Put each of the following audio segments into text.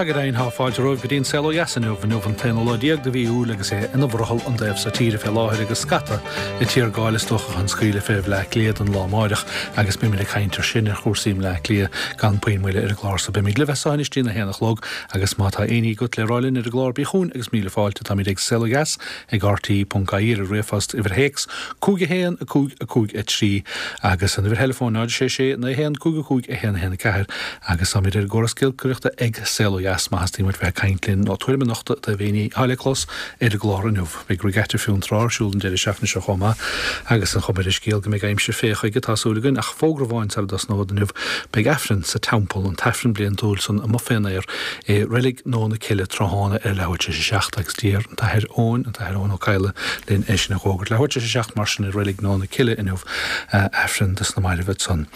Sea go deimhin, tá fáilte romhaibh go dtí an Saol Ó Dheas inniu. Inniu an t-aonú lá déag de mhí Iúil agus é ina bhrothall an taobh so tíre fé láthair agus scata ag tiargáil is dócha chun scaoileadh fé Bhleá Cliath don lá amáireach agus beimid ag caint ar sin, ar chúrsaí i mBleá Cliath gan puinn moille ar an gclár so. Beimid libh as so anois dtí'n 1 a chlog agus má tá aon ní agat le rá linn ar an gclár bí chugainn agus míle fáilte. Táimid ag Saol Ó Dheas ag rte.ie ar an ríomhphost, uimhir théacs 5 1 5 5 3 agus an uimhir theileafóin 0 6 6 9 1 5 5 1 1 4 agus táimid ar an gcóras giolcaireachta ag Saol Ó Dheas má theastaíonn uait bheith ag caint linn nó tuairim a nochtadh i dtaobh aon ní atá le clos ar an gclár inniu. Beidh Regatta Fionntrá ar siúl an deireadh seachtaine seo chomh maith agus an chuma ar an scéal go mbeidh aimsir fé chuige, tá súil againn, ach fógra amháin sara dtosnód inniu, beidh Aifreann sa Teampall, an tAifreann bliantúil san amuigh fén aer i Reilig Nó na Cille tráthnóna ar leathuair tar éis a 7 agus d'iarr an tAthair Eoin, an tAthair Eoin Ó Cadhla, linn é sin a dh'fhógairt. Leathuair tar éis a 7 mar sin i Reilig Nó na Cille inniu, Aifreann dos na mairbh ansan.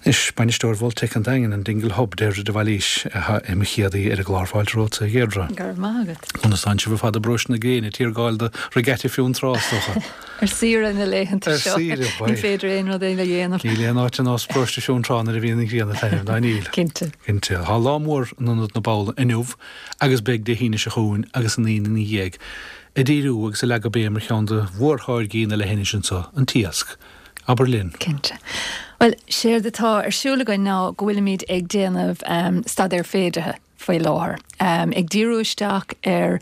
Anois, bainisteoir Mholtec an Daingin, an Dingle Hub, Deirdre de Bhailís, atá i mo chéad aoi ar an gclár. Fáilte romhat, a Dheirdre. Go raibh maith agat. Conas tánn sibh ar fad i bparóiste na gréine, ag tiargáil do Regatta Fionntrá, is dócha? Ar saoire na laethanta Ar seo. saoire, Ní bhuel. féidir aon rud eile a dhéanamh. Níl aon áit ar nós paróiste Fionntrá nuair a bhíonn an ghrian ag taitneamh, ná níl? Cinnte. Cinnte. Tá lá mór in Ionad na Babhla inniu agus beidh Dé hAoine seo chugainn agus an Aoine ina dhiaidh, ag díriú agus ag leagadh béim ar cheann de mhórtháirgí na leithinise anseo, an t-iasc. Abair linn. Cinnte. Bhuel, séard atá ar siúl againn ná go bhfuilimid ag déanamh staidéar féideartha. faoi láthair, ag díriú isteach ar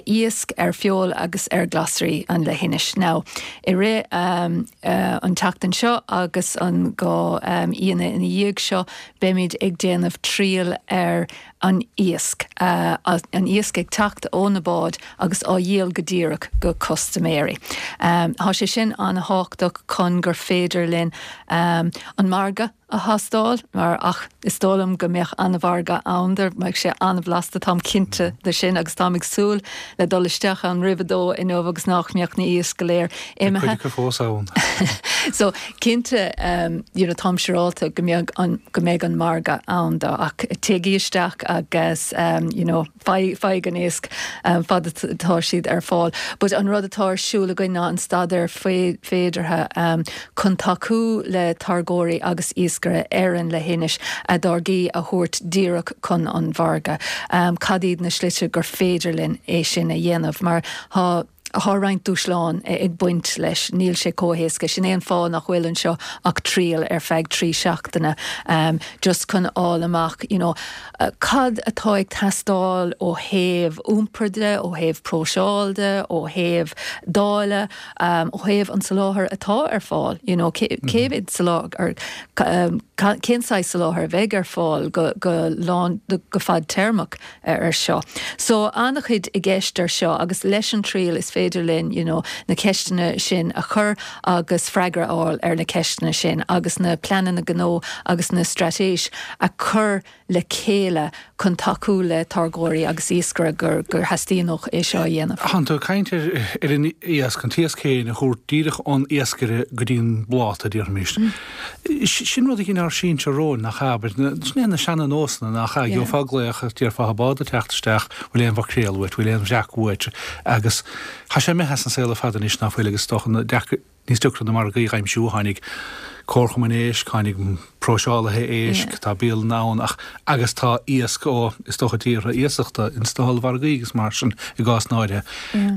iasc, ar feoil agus ar ghlasraí an leithinis. Now, i rith an tseachtain seo agus an dá Aoine ina dhiaidh seo, beimid ag déanamh triail ar an iasc, an iasc ag teacht ó na báid agus á dhíol go díreach go custaiméirí. Tá sé sin an-thábhachtach chun gur féidir linn an margadh, a thástáil, mar ach is dóigh liom go mbeadh an-mhargadh ann dó, mbeadh sé an-bhlasta, táim cinnte de sin agus táim ag súil le dul isteach ann roimh a dó inniu agus nach mbeadh na iasc go léir imithe. Beidh cuid acu fós ann. So, cinnte, you know, táim siúráilte go mbeadh an, go mbeidh an margadh ann dó ach téigí isteach agus, you know, Faigh an iasc fad atá siad ar fáil. But an rud atá ar siúl againn ná an staidéar féideartha chun tacú le táirgeoirí agus iascaire ar an leithinis a dtáirgí a thabhairt díreach chun an mhargaidh. Cad iad na slite gur féidir linn é sin a dhéanamh? Mar tá. Tá roinnt dúshlán ag baint leis, níl sé chomh héasca. Sin é an fáth nach bhfuil anseo ach triail ar feadh 3 seachtaine, just chun fháil amach, you know, cad atá ag teastáil ó thaobh iompair de, ó thaobh próiseáil de, ó thaobh dáileadh, ó thaobh an soláthair atá ar fáil, you know, cé mhéad soláthar, cén saghas soláthair a bheidh ar fáil go, go lán, go fadtéarmach. ar seo. So, an-chuid i gceist ar seo agus leis an triail is féidir linn you know na ceisteanna sin a chur agus freagra a fháil ar na ceisteanna sin agus na pleananna gnó agus na straitéis a chur le chéile chun tacú le táirgeoirí agus iascaire gur gur theastaíonn é seo a dhéanamh. Tánn tú ag caint ar ar an iasc, an t-iasc féin a thabhairt díreach ón iascaire go dtí an bpláta, déarfaimis. Sin rud a dhein ár sinsir romhainn, nach ea? Abair, sin é na seana-nósanna, nach ea? Gheofá glaoch agus déarfá, tá bád ag teacht isteach, bhfuil aon mhaicréal uait, bhfuil aon bhreac uait? Agus tá sé imithe as an saol ar fad anois, ná fuil? Agus is dócha níos deacra na margaí a aimsiú, tháinig comharchumainn éisc, tháinig próiseálaithe éisc, tá bialanna ann ach, agus tá iasc ó, is dócha, tíortha iasachta ins na hollmhargaí agus mar sin i gcásanna áirithe.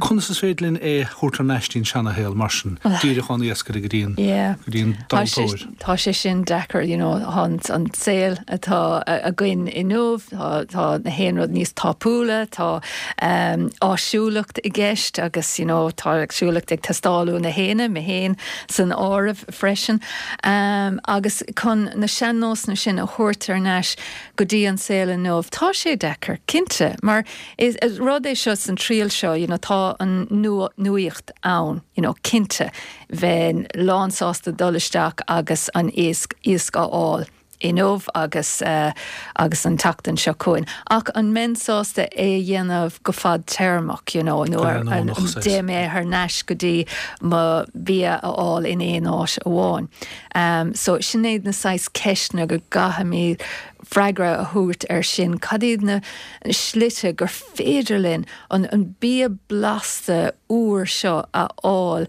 Conas is féidir linn é a thabhairt thar n-ais dtí'n seanashaol mar sin, díreach ón iascaire go dtí an, go dtí an tomhaltóir? Tá sé sin deacair, you know, tá an saol atá againn inniu, tá, tá na haon rud níos tapúla, tá áisiúlacht i gceist agus, you know, tá áisiúlacht ag teastáil ó na héinne, mé féin san áireamh freisin. Agus chun na sean-nósanna sin a thabhairt thar n-ais go dtí an saol inniu, tá sé deacair, cinnte, mar Is rud é seo san triail seo, you know, tá an nuaíocht ann, you know, cinnte, bheinn lán sásta dul isteach agus an iasc, iasc a fháil inniu agus, agus an tseachtain seo chugainn. Ach an mbeinn sásta é a dhéanamh go fadtéarmach, you know, nó ar, dtéann mé thar n-ais go dtí mo bhia a fháil in aon áit amháin. So sin iad na saghas ceisteanna go gcaithfimid freagra a thabhairt air sin, cad iad na slite gur féidir linn an bia blasta úr seo a fháil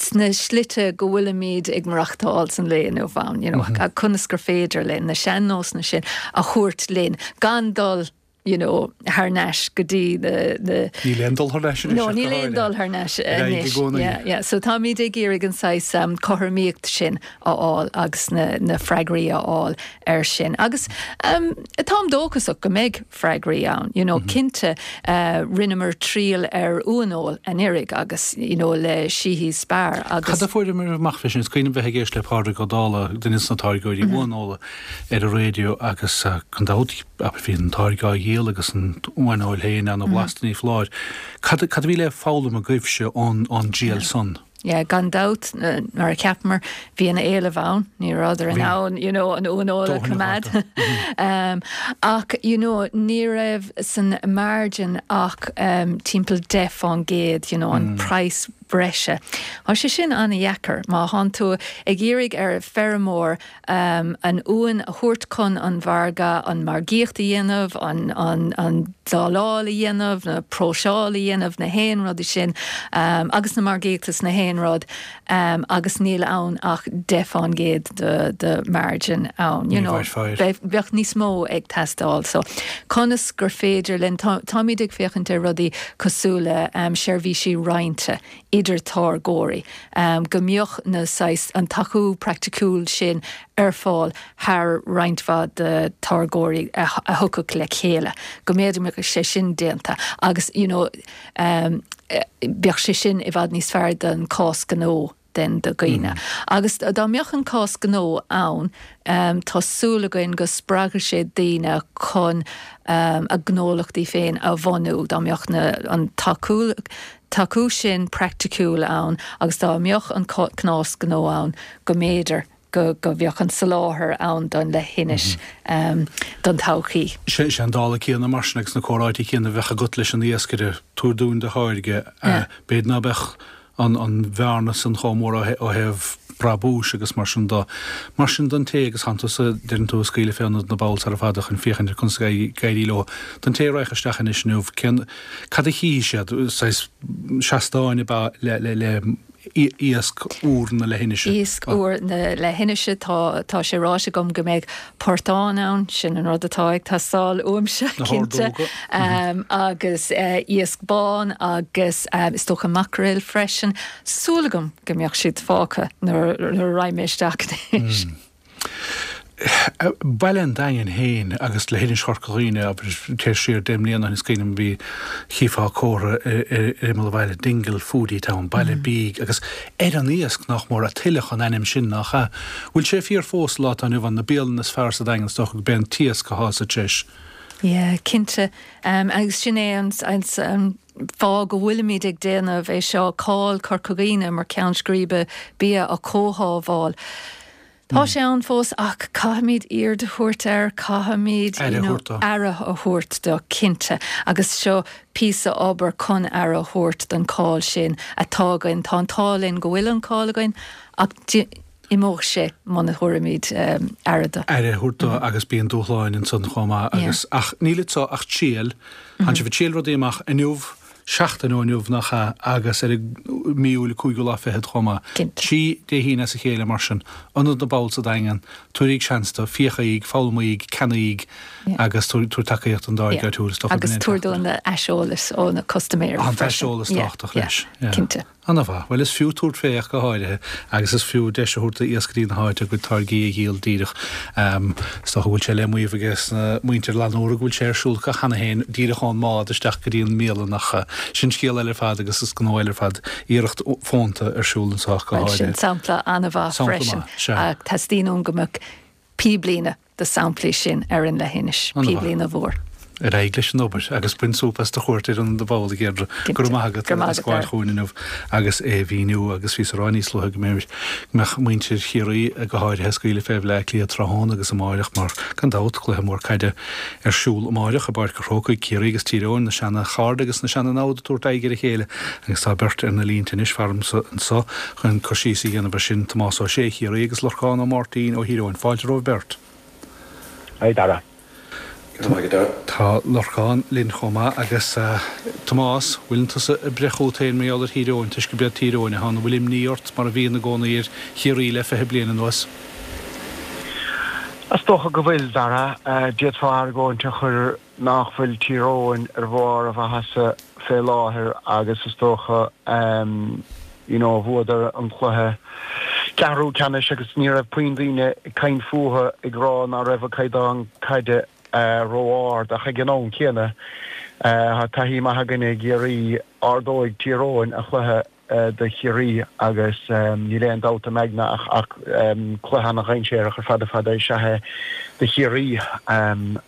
sna slite go bhfuilimid ag maireachtáil san lae inniu ann, you know, conas gur féidir linn na sean-nósanna sin a thabhairt linn gan dul. You know, thar n-ais go dtí na, na. Níl aon dul thar n-ais anois. No, níl aon dul thar n-ais anois. Yeah, yeah. So táimid ag iarraidh an saghas um, cothromaíocht sin a fháil agus na, na freagraí a fháil ar sin. Agus um, táim dóchasach go mbeidh freagraí ann. You know, mm -hmm. Cinnte uh, rinneamar triail ar uaineoil anuraidh agus you know, le Sheehy's Spar agus. Cad a fuaireamar amach fé sin? Is cuimhin liom bheith ag éist le Pádraig Ó Dálaigh, duine de na táirgeoirí mm -hmm. uaineola ar an raidió agus uh, gan dabht Abair bhí an táirge á dhíol agus an uaineoil féin ana-bhlasta ní foláir. Cad a bhí le foghlaim agaibhse ón dtriail san? Yeah, gan dabht, mar a cheapamar, bhí an éileamh ann, ní rabhadar in ann, you know, an uaineoil a choimeád. Ach, you know, ní raibh san margin ach timpeall 10%, you know, an praghas breise. Tá sé sin an-dheacair má thánn tú ag iarraidh ar feirmeoir an uain a thabhairt chun an mhargaidh, an margaíocht a dhéanamh, an dáileáil a dhéanamh, na próiseáil a dhéanamh, na haon rudaí sin agus na margaíochta is na haon rud agus níl ann ach 10% de margin ann. You know, bheadh níos mó ag teastáil. So conas gur féidir linn, táimid ag féachaint ar rudaí cosúil le seirbhísí roinnte idir táirgeoirí, go mbeadh na saghas, an tacú praiticiúil sin ar fáil thar roinnt mhaith de táirgeoirí a thiocfadh le chéile, go mb'fhéidir mbeadh sé sin déanta agus you know bheadh sé sin i bhfad níos fearr don cás gnó den do dhaoine. Agus dá mbeadh an cás gnó ann, tá súil againn go spreagfadh sé daoine chun a ngnólachtaí féin a bhunú, dá mbeadh na, an tacú, tacú sin praiticiúil ann agus dá mbeadh an cás gnó ann go mb'fhéidir go go mbeadh an soláthar ann don leithinis don todhchaí. Sé an dála céanna mar sin agus na comhráite céanna a bheadh agat leis an iascaire, tabhair dúinn do tháirge, b'fhéidir ná beadh an bhearna san chomh mór ó thaobh brabúis agus mar sin de. Mar sin don té, agus thánn tusa, deireann tú, ag scaoileadh fé Ionad na bPoll sara fada chun féachaint ar conas ag éirí leo. Don té a raghadh isteach anois inniu, cén, cad a chífidh siad? Saghas seastáin ab ea le, le, le iasc úr na leithinise? Iasc úr na leithinise, tá, tá sé ráite agam go mbeidh portán ann, sin an rud atá ag teastáil uaimse, cinnte, agus iasc bán agus is dócha maicréil freisin. Súil agam go mbeadh siad fágtha nuair a raghaidh mé isteach anois. Baile an Daingin féin agus leithinis Chorca Dhuibhne, abair, téir siar 10 mbliana ó shin is cuimhin liom bhí, chífeá comhartha ar imeall an bhaile, Dingle Foodie Town, baile bídh, agus ar an iasc, nach mór, a tuilleadh an ainm sin, nach ea? Bhfuil sé fíor fós sa lá atá inniu ann, na bialanna is fearr sa Daingean, is dócha gurb é an t-iasc athá sa treis. Yeah, cinnte. Agus sin é an fáth go bhfuilimid ag déanamh é seo, cáil Chorca Dhuibhne mar cheann scríbe bia a chothabháil. Tá sé ann fós ach caithfimid aird a thabhairt air, caithfimid you know aire a thabhairt dó, cinnte. Agus seo píosa obair chun aire a thabhairt don cháil sin atá againn. Tá an t-ádh linn go bhfuil an cáil againn ach imeoidh sé muna dtabharfaimid aire dó. Aire a thabhairt dó agus bíonn dúshláin ansan chomh maith agus ach níl anseo ach triail, Tánn sibh ag triail rudaí amach inniu, seachtain ó inniu, nach ea, agus ar an mí Iúil, an cúigiú lá fichead chomh maith. Cinnte. 3 Dé hAoine as a chéile mar sin. Ionad na bPoll sa Daingean, tabhairíg seans dó, féachaíg, foghlamaíg, ceannaíg agus tabhair tacaíocht don dtáirge áitiúil, is dócha. Agus tabhair dúinn aiseolas ó na custaiméirí freisin. An t-aiseolas tábhachtach leis. Cinnte. Ana-mhaith. Bhuel, is fiú tabhairt fé ach go háirithe, agus is fiú deis a thabhairt d'iascairí na háite a gcuid táirgí a dhíol díreach. Is dócha go bhfuil sé le maíomh aige sna muintir Lanúr go bhfuil sé ar siúl acu cheana féin díreach ón mbád isteach go dtí an mbialann ach sin scéal eile ar fad agus is gnó eile ar fad. Iarracht fónta ar siúl anseo ach go háirithe. Bhuel, sin sampla ana-mhaith freisin. Sampla maith, sea. Ach teastaíonn uaim go mbeadh píblíne de samplaí sin ar an leithinis, píblíne mhór. Ar aghaidh leis an obair agus bain súp as do chuairt ar Ionad na bPoll, a Dheirdre. Go raibh maith agat as gabháil chugainn inniu agus é a mhíniú agus bhíos ag rá níos luaithe go mbeadh muintir Chiarraí go háirithe ag scaoileadh fé Bhleá Cliath tráthnóna agus amáireach mar, gan dabht, cluiche mór caide ar siúl amáireach i bPáirc an Chrócaigh, Ciarraí agus Tír Eoghain, na seana-chairde agus na seana-namhad ag tabhairt aghaidh ar a chéile agus tá beirt ar na línte anois faramsa anso chun cur síos a dhéanamh ar sin, Tomás Ó Sé, Chiarraí, agus Lorcán Ó Máirtín ó Thír Eoghain. Fáilte romhaibh beirt. Hi Dara. Tá Lorcán linn chomh maith agus Tomás, bhfuileann tusa ag breith chugat féin mar gheall ar Thír Eoghain toisc gurb iad Tír Eoghain atá ann? An bhfuil imní ort mar a bhíonn i gcónaí ar Chiarraí le 20 bliain anuas? Is dócha go bhfuil, Dara. D'fhéadfá argóint a chur nach bhfuil Tír Eoghain ar bharr a mhaitheasa fé láthair agus is dócha you know bhuadar an cluiche ceathrú ceannais agus ní raibh puinn daoine ag caint fúthu ag rá ná raibh a gcaighdeán caide ró-ard ach ag an am céanna tá taithí maith againne i gCiarraí ardóidh Tír Eoghain a chluiche do Chiarraí agus níl aon dabht im aigne ach cluiche ana-dhainséarach ar fad ar fad is ea é do Chiarraí.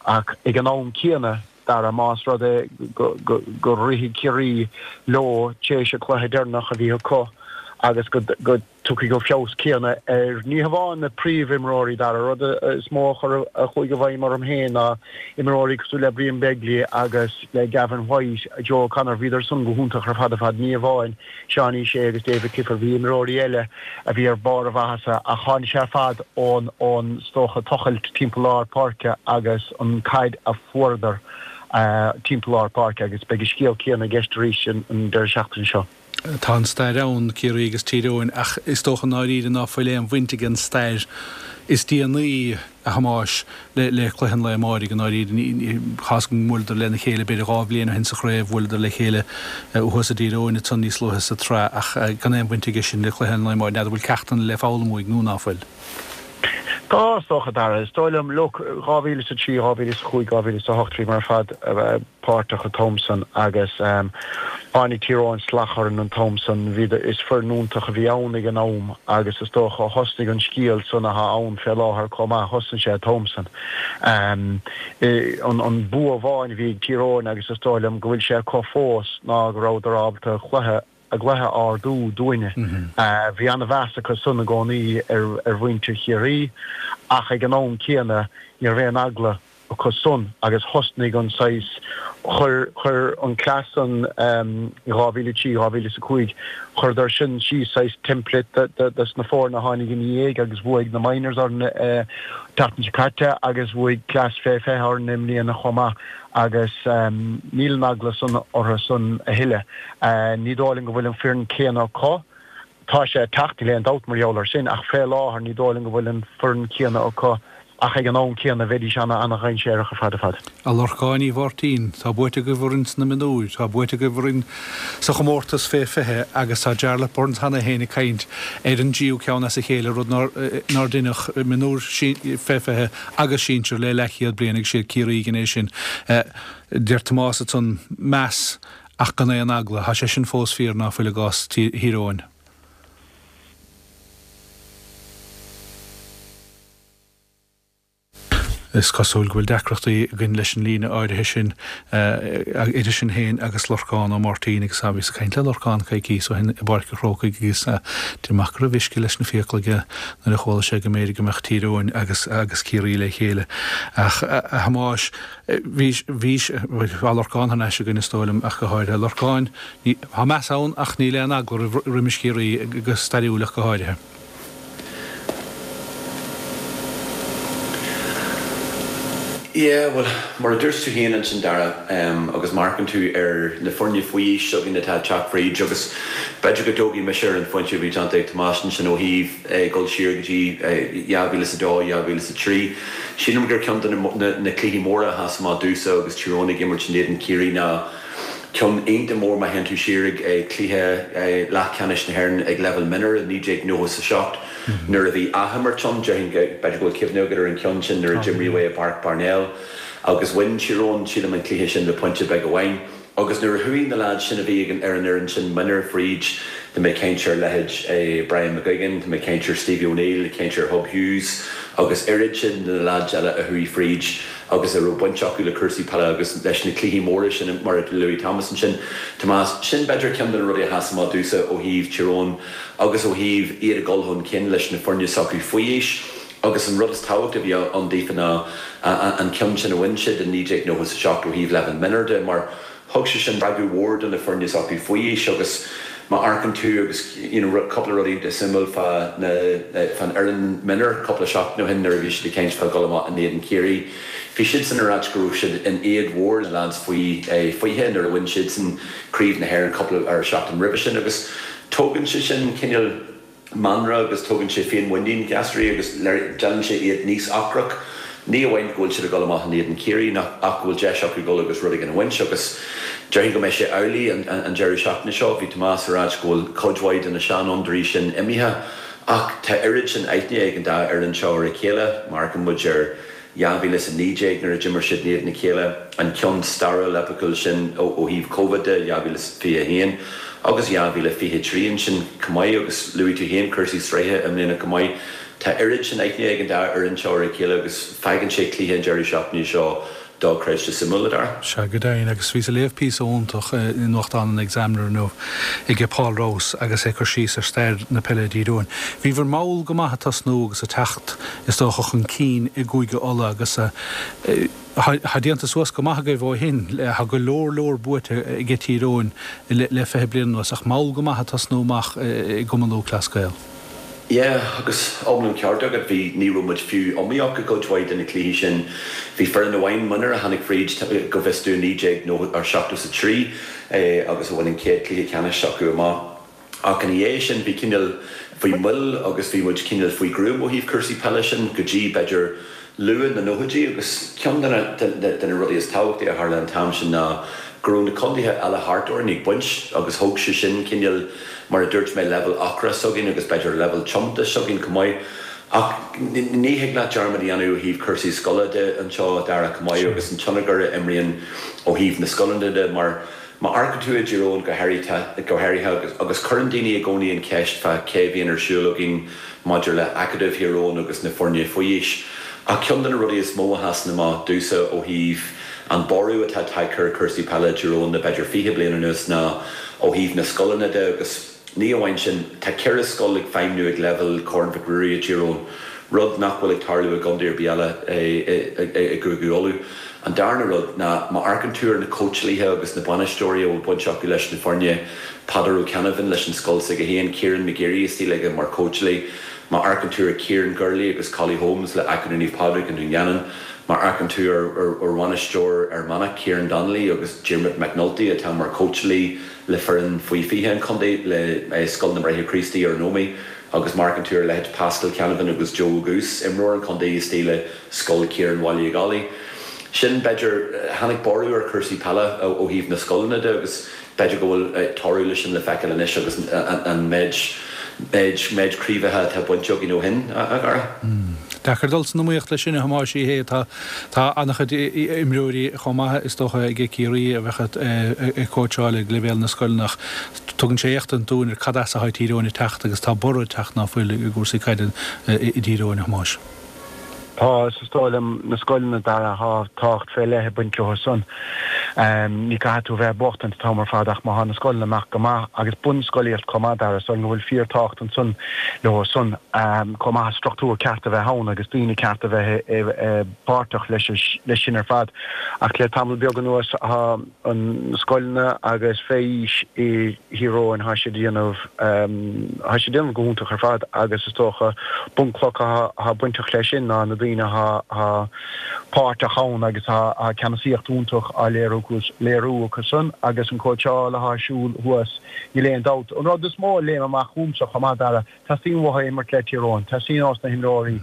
Ach ag an am céanna, Dara, más rud é go rithfidh Ciarraí leo tar éis an cluiche deireanach a bhí acu agus go dtiocfaidh an feabhas céanna ar ní hamháin na príomhimreoirí, Dara, rud is mó a chuir a chuaigh i bhfeidhm orm féin ná imreoirí cosúil le Brian Begley agus le Gavin White, Joe O'Connor, bhíodar san go hiontach ar fad ar fad, ní amháin Seánie Shea agus David Clifford, bhí imreoirí eile a bhí ar barr a mhaitheasa ach tháinig sé ar fad ón, ón, is dócha, tochailt timpeall lár páirce agus an caid a fuaireadar timpeall lár páirce agus beidh an scéal céanna i gceist arís an deireadh seachtaine seo. Tá an stair ann, Ciarraí agus Tír Eoghain, ach is dócha i ndáiríre ná fuil aon bhaint ag an stair is déanaí, a Thomáis, le cluiche an lae amáirigh i ndáiríre. Tá 'fhios agam go mbuaileadar lena chéile b'fhéidir 2 bhliain ó shin sa chraobh, bhuaileadar le chéile thuas i dTír Eoghain ansan níos luaithe sa tsraith ach gan aon bhaint aige sin le cluiche an lae amáirigh. N'fheadar bhfuil ceachtanna le foghlaim uaidh nó ná fuil. Tá, is dócha, Dara. Is dóigh liom, look, 2003, 2005, 2008, bhíomar ar fad páirteach an t-am san agus tháinig Tír Eoghain salach orainn an t-am san. Bhí, is foireann iontach a bhí ann ag an am agus is dócha thosnaigh an scéal san atá ann fé láthair chomh maith, thosnaigh sé an t-am san. An bua amháin a bhí ag Tír Eoghain agus is dóigh liom go bhfuil sé acu fós ná go rabhadar ábalta cluiche a gcluiche a ardú dúinne. Bhí an-mheas acu san i gcónaí ar mhuintir Chiarraí ach ag an am céanna ní raibh aon eagla acu san agus thosnaigh an saghas, chuir, chuir an cleas san i 2003, 2005, chuireadar sin síos saghas template dos na foirne a tháinig ina dhiaidh agus bhuaigh na minors orainn an tseachtain seo caite agus bhuaigh Class fé 20 orainn i mbliana chomh maith agus níl an eagla san orthu san a thuilleadh. Ní dóigh liom go bhfuil an foireann céanna acu. Tá sé ag teacht, níl aon dabht mar gheall air sin, ach fé láthair ní dóigh liom go bhfuil an foireann céanna acu ach ag an am céanna bheidís ana ana-dhainséarach ar fad ar fad. A Lorcáin Uí Mháirtín, tá buaite agaibh orainn sna mionúir, tá buaite agaibh orainn sa chomórtas fé 20 agus tá Jarlath Burns cheana féin ag caint ar an dtríú ceann as a chéile, rud nár deineadh, mionúir fé 20 agus sinsir le leathchéad bliain agus siad Ciarraí a dhein é sin. Deir Tomás ansan, meas Ach gan aon eagla. Tá sé sin fós fíor, ná fuil, i gcás Thír Eoghain. Is cosúil go bhfuil deacrachtaí againn leis an líne áirithe sin idir sinn féin agus Lorcán Ó Máirtín agus bhíos ag caint le Lorcán coicíos ó shin i bPáirc an Chrócaigh agus deir amach go raibh uisce leis na fiacla aige nuair a chuala sé go mb'fhéidir go mbeadh Tír Eoghain agus agus Ciarraí le chéile. Ach a Thomáis, Bhí, bhí, tá Lorcán thar n-ais againn is dóigh liom ach go háirithe. Lorcán, ní, tá meas ann ach níl aon eagla roimh, roimis Chiarraí, go stairiúil ach go háirithe. Yeah, bhuel, mar a dúirt tú féin ansin Dara, agus má amharcann tú ar na foirne faoi aois s'againn atá ag teacht fríd agus b'fhéidir go dtógfaidh mise ar an phointe a bhí déanta ag Tomás ansin ó thaobh dul siar go dtí 2002, 2003. Sílim gur ceann de na cluichí móra a sheas amach domhsa agus Tír Eoghain ag imirt in éadan Chiarraí ná ceann iontach mór má théann tú siar ag cluiche leathcheannais na hÉireann ag leibhéal mionúir i 1997 nuair a bhí athimirt ann. Déarfainn go, b'fhéidir go bhfuil cuimhne agat ar an cheann sin nuair a d'imríodh é i bPáirc Parnell agus bhain Tír Eoghain, sílim, an cluiche sin le pointe beag amháin. Agus nuair a chuaigh na leaids sin a bhí ag ar an fhoireann sin mionúir fríd, tá mé ag caint ar leithéid Brian McGuigan, tá mé ag caint ar Stevie O'Neill, ag caint ar Hub Hughes agus oiread sin de na leaids eile a chuaigh fríd agus a raibh baint acu le cúrsaí peile agus leis na cluichí móra sin mar a luaigh Thomas ansin, Tomás, sin b'fhéidir ceann de na rudaí a sheas amach domhsa ó thaobh Tír Eoghain agus ó thaobh iad ag dul chun cinn leis na foirne s'acu faoi aois. Agus an rud is tábhachtaí a bhí ann daofa ná an ceann sin a bhain siad i 1997 ó thaobh leibhéal mionúir de mar thug sé sin spreagadh mhór do na foirne s'acu faoi aois agus má amharcann tú agus you know cúpla rud iontach suimiúil fá na fán fhoireann mionúir cúpla seachtain ó shin nuair a bhí siad ag caint fá dhul amach in éadan Chiarraí bhí siadsan ag ráit go raibh siad in éad mhór na lads faoi 20 nuair a bhain siadsan craobh na hÉireann cúpla ar seachtain roimhe sin agus tógann sé sin cineál. Meanra agus tógann sé féinmhuinín gasraí agus déanann sé iad níos ocrach. Ní amháin go bhfuil siad ag dul amach in éadan Ciarraí ach go bhfuil deis acu dul agus rud éigin a bhaint agus déarfainn go mbeidh sé amhlaidh an deireadh seachtaine seo. Bhí Tomás ag ráit go bhfuil cuid mhaith de na seanfhondúirí sin imithe ach tá oiread sin aithne ag an dá fhoireann seo ar a chéile. Má amharcann muid ar 2019 nuair a d'imir siad in éadan a chéile, an ceann stairiúil eipiciúil sin ó thaobh Covid de, 2021 agus 2023 ansin chomh maith agus luaigh tú féin cúrsaí sraithe i mbliana chomh maith. Tá oiread sin aithne ag an dá fhoireann seo ar a chéile agus fágann sé cluiche an deireadh seachtaine seo dochreidte suimiúil, a Dhara. Sea, go deimhin, agus bhíos ag léamh píosa iontach i nuachtán an Examiner inniu ag Paul Rouse agus é ag cur síos ar stair na peile i dTír Eoghain. Bhíobhair mall go maith ag tosnú agus ag teacht, is dócha, chun cinn i gCúige Uladh agus tá déanta suas go maith agaibh ó shin. Tá go leor leor buaite ag Tír Eoghain le 20 bliain anuas ach mall go maith ag tosnú amach i gCumann Lúthchleas Gael. Yeah, agus iomlán ceart agat, bhí, ní raibh muid fiú iomaíoch i gcuid mhaith de na cluichí sin. Bhí foireann amháin, Mionúir, a tháinig fríd, go bhfios dúinn, 1973 agus a bhain an chéad cluiche ceannais s'acu amach. Ach ina dhiaidh sin bhí cineál, bhí moill agus bhí muid cineál faoi ghruaim ó thaobh cúrsaí peile sin go dtí, b'fhéidir, luath na nóchaidí agus ceann de na de na rudaí is tábhachtaí a tharla an t-am sin ná go raibh na contaetha eile thart orainn ag baint agus thóg sé sin cineál, mar a dúirt mé, leibhéal ocrais s'againn agus b'fhéidir leibhéal tiomantais s'againn chomh maith. Ach ní thig leat dearmad a dhéanamh ó thaobh cúrsaí scoile de anseo, a Dhara, chomh maith agus an tionchar a imríonn ó thaobh na scoileanna de mar Má amharcann tú i dTír Eoghain go háirithe, go háirithe, agus cuireann daoine i gcónaí an cheist fá cé a bhíonn ar siúl againn maidir le Acadamh Thír Eoghain agus na foirne faoi aois. Ach ceann de na rudaí is mó a sheasann amach domhsa ó thaobh an borradh atá tagtha ar chúrsaí peile i dTír Eoghain le b'fhéidir 20 bliain anuas ná ó thaobh na scoileanna de agus Ní amháin sin, tá 4 scoil ag feidhmniú ag leibhéal Chorn Mhic Ruairí i dTír Eoghain, rud nach bhfuil ag tarlú i gcontae ar bith eile i gCúige Uladh. An darna rud ná, má amharcann tú ar na cóitseálaithe agus na bainisteoirí a bhfuil baint acu leis na foirne, Peadar Ó Ceannabháin leis an scoil s'aige féin, Kieran McGeary istigh aige mar chóitseálaí, má amharcann tú ar Kieran Gurley agus Collie Holmes le Acadamh Naomh Pádraig i nDún Geanainn, má amharcann tú ar bhainisteoir Fhear Manach, Kieran Donnelly agus Diarmuid McNulty atá mar chóitseálaí le foireann faoi 20 an chontae, le Scoil na mBráithre Críostaí ar an Ómaigh agus má amharcann tú ar leithéid Pascal Canavan agus Joe Goose, imreoir an chontae istigh le Scoil Chiaráin Bhaile an Ghallaigh. Sin, b'fhéidir, tháinig borradh ar chúrsaí peile ó thaobh na scoileanna de agus b'fhéidir go bhfuil toradh leis sin le feiceáil anois agus an méid, méid craobhacha atá bainte againn ó shin, a Dhara. Deacair dul san iomaíocht leis sin, a Thomáis, hé, tá. Tá an-chuid imreoirí chomh maith, is dócha, ag Ciarraí a bheadh ag cóitseáil ag leibhéal na scoileanna ach tugann sé éachtaint dúinn ar cad as atá Tír Eoghain ag teacht agus tá borradh ag teacht ná fuil i gcúrsaí caide i dTír Eoghain, a Thomáis. Tá, is dóigh liom, na scoileanna, Dara, tá tábhacht fé leith ag baint leo san. Ní caithfidh tú a bheith ag buachtaint an t-am ar fad ach má thá na scoileanna amach go maith agus bunscolaíocht chomh maith, Dara, is dóigh liom go bhfuil fíor tábhacht ansan leo san chomh maith struchtúr ceart a bheith ann agus daoine ceart a bheith páirteach leis sin ar fad. Ach le tamall beag anuas thá na scoileanna agus fé aois i Thír Eoghain thá siad ag déanamh thá siad ag déanamh go hiontach ar fad agus is dócha bunchloch athá bainteach leis sin ná na daoine athá páirteach ann agus thá ceannasaíocht iontach á léiriú acu san agus an cóitseáil athá ar siúl thuas níl aon dabht. An rud is mó a léim amach chugamsa chomh maith, Dara, teastaíonn uathu imirt le Tír Eoghain, teastaíonn ós na himreoirí,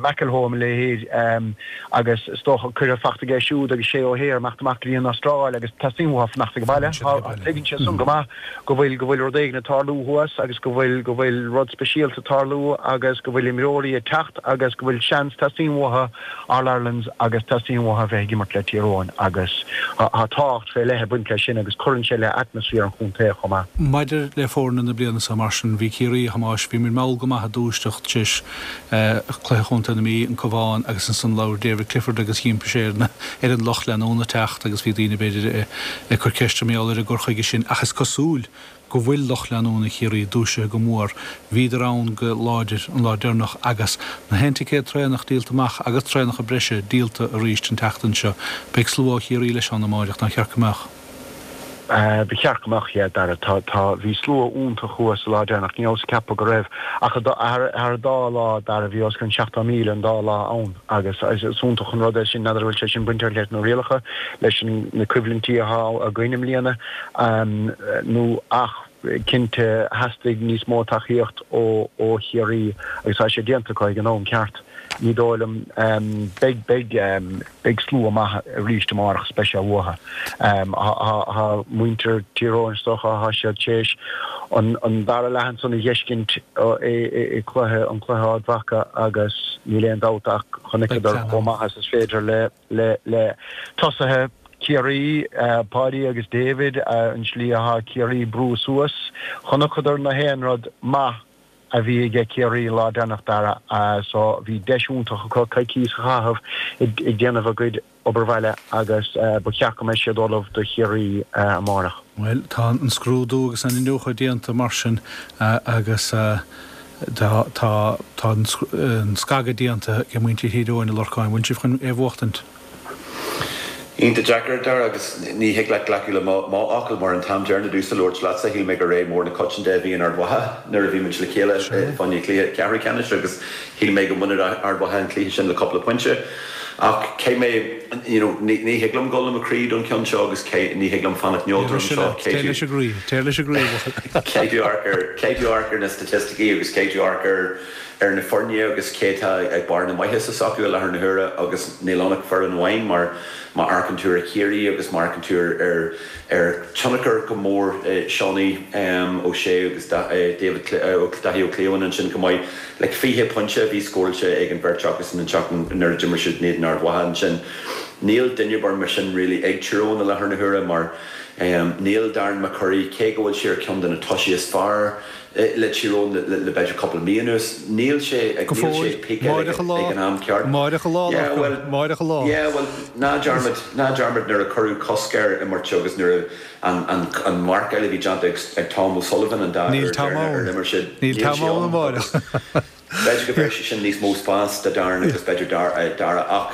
McElholm a leithéid agus is dócha cuireadh fachta aige siúd agus Shay O'Hare imeacht amach go dtí an Astráil agus teastaíonn uathu fanacht ag baile. Tuigeann siad san go maith go bhfuil go bhfuil rud éigin ag tarlú thuas agus go bhfuil go bhfuil rud speisialta ag tarlú agus go bhfuil imreoirí ag teacht agus go bhfuil seans, teastaíonn uathu All Irelands agus teastaíonn uathu a bheith ag imirt le Tír Eoghain agus tá tábhacht fé leith ag baint leis sin agus cuireann sé le atmaisféar an chontae chomh maith. Maidir le foirne na bliana seo mar sin, bhí Ciarraí, a Thomáis, bhí muid mall go maith ag dúiseacht tar éis cluiche chontae na Mí, an Cabhán agus ansan labhair David Clifford agus dh'impigh sé ar na ar an lucht leanúna teacht agus bhí daoine b'fhéidir ag cur ceiste mar gheall ar an gcur chuige sin ach is cosúil go bhfuil lucht leanúna Chiarraí dúisithe go mór. Bhíodar ann go láidir an lá deireanach agus na haon ticéad traenach díolta amach agus traenacha breise díolta arís an tseachtain seo. Beidh slua ó Chiarraí leis ann amáireach, nár cheart go mbeadh? Ba cheart go mbeadh, yeah, Dara. Tá, tá, bhí slua iontach thuas an lá deireanach, ní rabhas ag ceapadh go raibh ach thar an dá lá, Dara, bhí os cionn 70,000 an dá lá ann agus is iontach an rud é sin, n'fheadar an bhfuil sé sin bainteach leis na rialacha, leis na coimhlintí atá againn i mbliana nó ach. Cinnte, theastaigh níos mó tacaíocht ó Chiarraí agus tá sé déanta acu ag an am ceart, ní dóigh liom. Beidh, beidh, beidh slua maith arís amárach is beidh sé uathu. Tá muintir Tír Eoghain is dócha, tá siad tar éis an dara leath ansan a dh'fheiscint i cluiche, an cluiche Ard Mhacha agus níl aon dabht ach chonaiceadar chomh maith is is féidir le le tosaithe Chiarraí, Páidí agus David, an tslí atá Ciarraí ag brú suas. Chonaiceadar na haon rud maith a bhí aige Ciarraí an lá deireanach, Dara, so bhí deis iontach acu coicíos a chaitheamh ag déanamh a gcuid obair bhaile agus ba cheart go mbeidh siad ullamh do Chiarraí amárach. Bhuel, tá an scrúdú agus an iniúchadh déanta mar sin agus tá tá tá an scagadh déanta ag muintir Thír Eoghain, a Lorcáin. Bhfuil sibh chun é a bhuachtaint? Iontach deacair, Dara, agus ní thig leat glacadh le mo fhocal mar an t-am deireanach domhsa labhairt leatsa, shíl mé gur ré mór na coitianta a bhí in Ard Mhacha nuair a bhí muid le chéile fá choinne cluiche ceathrú ceannais agus shíl mé go mbainfeadh Ard Mhacha an cluiche sin le cúpla pointe. Ach caithfidh mé, you know, ní thig liom dul le mo chroí don cheann seo agus ní thig liom fanacht neodrach anseo. Téir leis an gcroí, téir leis an gcroí, a bhuachaill. Caithfidh tú amharc ar, caithfidh tú amharc ar na staitisticí agus caithfidh tú amharc ar, ar na foirne agus cé atá ag barr na maitheasa s'acu i láthair na huaire agus níl ann ach foireann amháin mar má amharcann tú ar Chiarraí agus má amharcann tú ar, ar tionchar go mór Seánie O'Shea agus David, Daithí Ó Cliabháin ansin chomh maith. Like 20 pointe a bhí scóráilte ag an bheirt acusan an tseachtain nuair a d'imir siad in éadan Ard Mhacha ansin. Níl duine ar bith mar sin really ag Tír Eoghain i láthair na huaire mar níl Darren McCurry, cé go bhfuil sé ar cheann de na tosaithe is fearr le Tír Eoghain le b'fhéidir cúpla mí anuas, níl sé ag níl sé ag píceáil ag an am ceart. Máireach a lá, Yeah bhuel, Máireach a lá. yeah bhuel ná dearmad, ná dearmad nuair a cuireadh cosc air imirt agus nuair a An mharcáil a bhí déanta ag Tom O'Sullivan an dá uair deireanach ar imir siad, níl sé ann agus b'fhéidir go bhféadfadh sé sin níos mó spás do Darren agus b'fhéidir Dara ach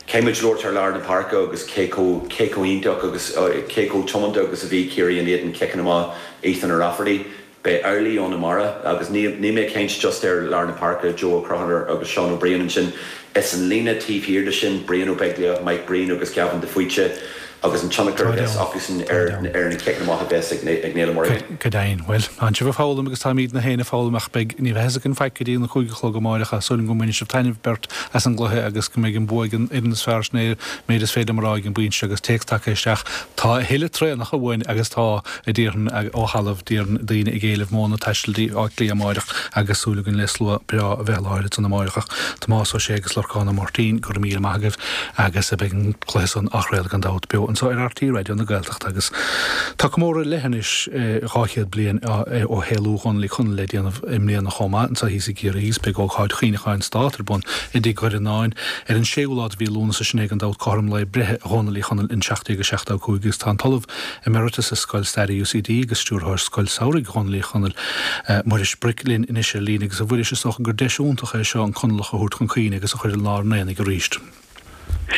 caithfidh muid labhairt ar lár na páirce agus cé chomh cé chomh iontach agus cé chomh tiomanta agus a bhí Ciarraí in éadan ciceanna amach Ethan O'Rafferty. Beidh amhlaidh ann amárach agus níl mé ag caint just ar lár na páirce, Joe Ó Conchúir agus Seán Ó Briain ansin. Is an líne taobh thiar de sin, Brian Ó Beaglaoich, Mike Breen agus Gavin de Faoite agus an tionchar a bheas acusan ar na ciceanna amach a bheas ag Niall Ó Muirí. Go deimhin. Bhuel, tánn sibh ag foghlaim agus táimídne féin ag foghlaim ach beidh, ní bheidh a fhios againn faic go dtí an 5 a chlog amáireach ach súil agam go mbainfidh sibh taitneamh beirt as an gcluiche agus go mbeidh an bua ag an fhoireann is fearr sin é an méid is féidir liom a rá ag an bpointe seo agus téacs tagtha isteach tá a thuilleadh traenach uainn agus tá a déarfainn, ó thalamh, déarfainn, daoine ag éileamh modhanna taistil dtí Áth Cliath amáireach agus súil againn le slua breá a bheith i láthair ansan amáireach ach Tomás Ó Sé agus Lorcán Ó Máirtín, go raibh míle maith agaibh agus beidh an cluiche san á chraoladh gan dabht beo anseo ar RTÉ Raidió na Gaeltachta agus tá comóradh leith anois 200 bliain ó shaolú Dhónaill Uí Chonaill le déanamh i mbliana chomh maith anseo thíos i gCiarraí agus beidh ócáid chuimhneacháin Stát ar bun i dTigh Dhoireannáin ar an séú lá de mhí Lúnasa sin é gan dabht cothrom lae breithe Dhónaill Uí Chonaill in 1775 agus tá an tOllamh Emeritus i Scoil Staire UCD agus Stiúrthóir Scoil Samhraidh Dhónaill Uí Chonaill, Muiris Bric linn anois ar líne agus a Mhuiris is dócha gur deis iontach é seo an Conallach a thabhairt chun cuimhne agus a chur i lár an aonaigh arís.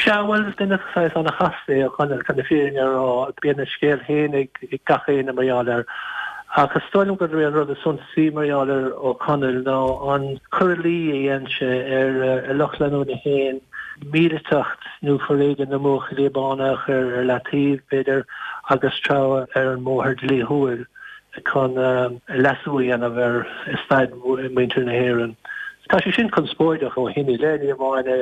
Sea, bhuel, is duine saghas an-chasta é Ó Conaill, chun na fírinne a rá. Bíonn a scéal féin ag gach éinne mar gheall air. Ach is dóigh liom gurb é an rud is suntasaí mar gheall ar Ó Conaill ná an cur i luí a dhein sé ar a lucht leanúna féin, míliteacht nó foréigean na mBuachaillí Bána a chur ar leataobh, b'fhéidir, agus treabhadh ar an mbóthar dlíthiúil chun leasú a dhéanamh ar staid mhuintir na hÉireann. Tá sé sin conspóideach ó shin i leith, ní amháin i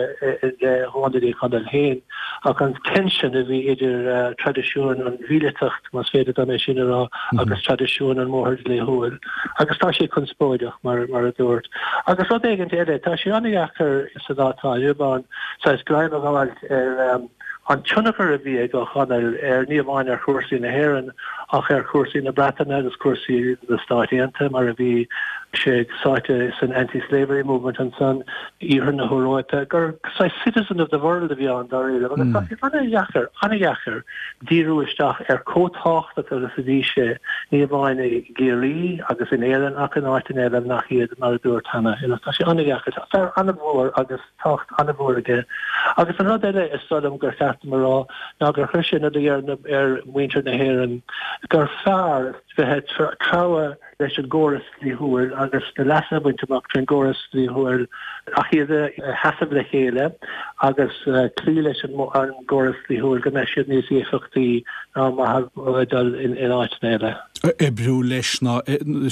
leith Dhónaill Uí Chonaill féin, ach an tension a bhí idir traidisiún an mhíliteacht, más féidir dom é sin a rá, agus traidisiún an mbóthar dlíthiúil. Agus tá sé conspóideach, mar a dúirt. Agus rud éigin eile, tá sé an-dheacair sa lá atá inniu ann saghas greim a ghabháilt ar an tionchar a bhí ag Ó Conaill ar, ní amháin ar chúrsaí na hÉireann, ach ar chúrsaí na Breataine agus cúrsaí na Stáit Aontaithe, mar a bhí sé sáite san anti-slavery movement ansan, iarthar na hEoróipe, gur saghas citizen of the world a bhí ann dáiríre. Agus tá sé an-dheacair, an-dheacair díriú isteach ar chomh tábhachtach agus a bhí sé, ní amháin i gCiarraí agus in Éirinn ach in áiteanna eile nach iad, mar a dúirt cheana. Tá sé an-dheacair. Tá fear an-mhór agus tábhacht an-mhór aige. Agus an rud eile is dóigh liom gur cheart dom a rá ná gur chuir sé ina luí ar mhuintir na hÉireann gur fearr bheith ag treabhadh leis an gcóras dlíthiúil agus na leasanna a bhaint amach trén gcóras dlíthiúil ach iad a sheasamh le chéile agus cloí leis an gcóras dlíthiúil go mbeidh siad níos éifeachtaí. Ná mar a dul in áiteanna eile. Oibriú leis ná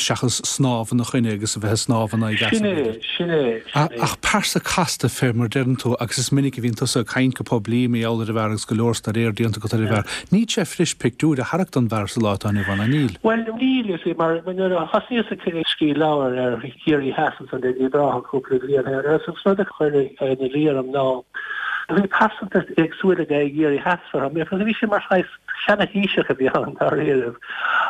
seachas snámh ina choinne agus a bheith ag snámh in aghaidh easa, Sin é, b'fhéidir. sin é, sin é. Ach pearsa casta fé mar deireann tú agus is minic a bhíonn tusa ag caint go poiblí mar gheall ar an bhfear agus go leor staidéar déanta agat ar an bhfear. Níl sé fuirist pictiúr a tharrac den bhfear sa lá atá inniu ann, an níl? Bhuel, níl, you see, mar nuair a thosnaíos ag scríobh leabhair ar Chiarraí Theas ansan le Uíbh Ráthach cúpla bliain ó shin, an rud a chuir ina luí orm ná bhí pearsantacht éagsúil aige i gCiarraí Theas. Bhí sé mar shaghas seana-Thaoiseach a bhí ann dáiríribh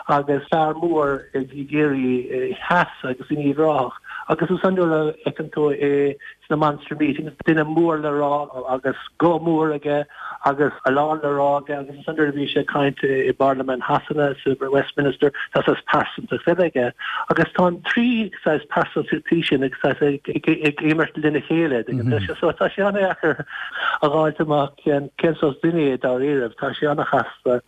agus fear mór i gCiarraí Theas agus in Uíbh Ráthach agus ansan nuair a fheiceann tú é sna Monster Meetings, duine mór le rá agus guth mór aige agus a lán le rá aige agus ansan nuair a bhí sé ag caint i bParlaimint Shasana, sa Westminster, tá saghas pearsantacht eile aige agus tá an trí saghas pearsantachtaí sin ag saghas ag imirt lena chéile, so tá sé an-deacair a dh'fháilt amach. Cén saghas duine é dáiríribh? Tá sé an-chasta.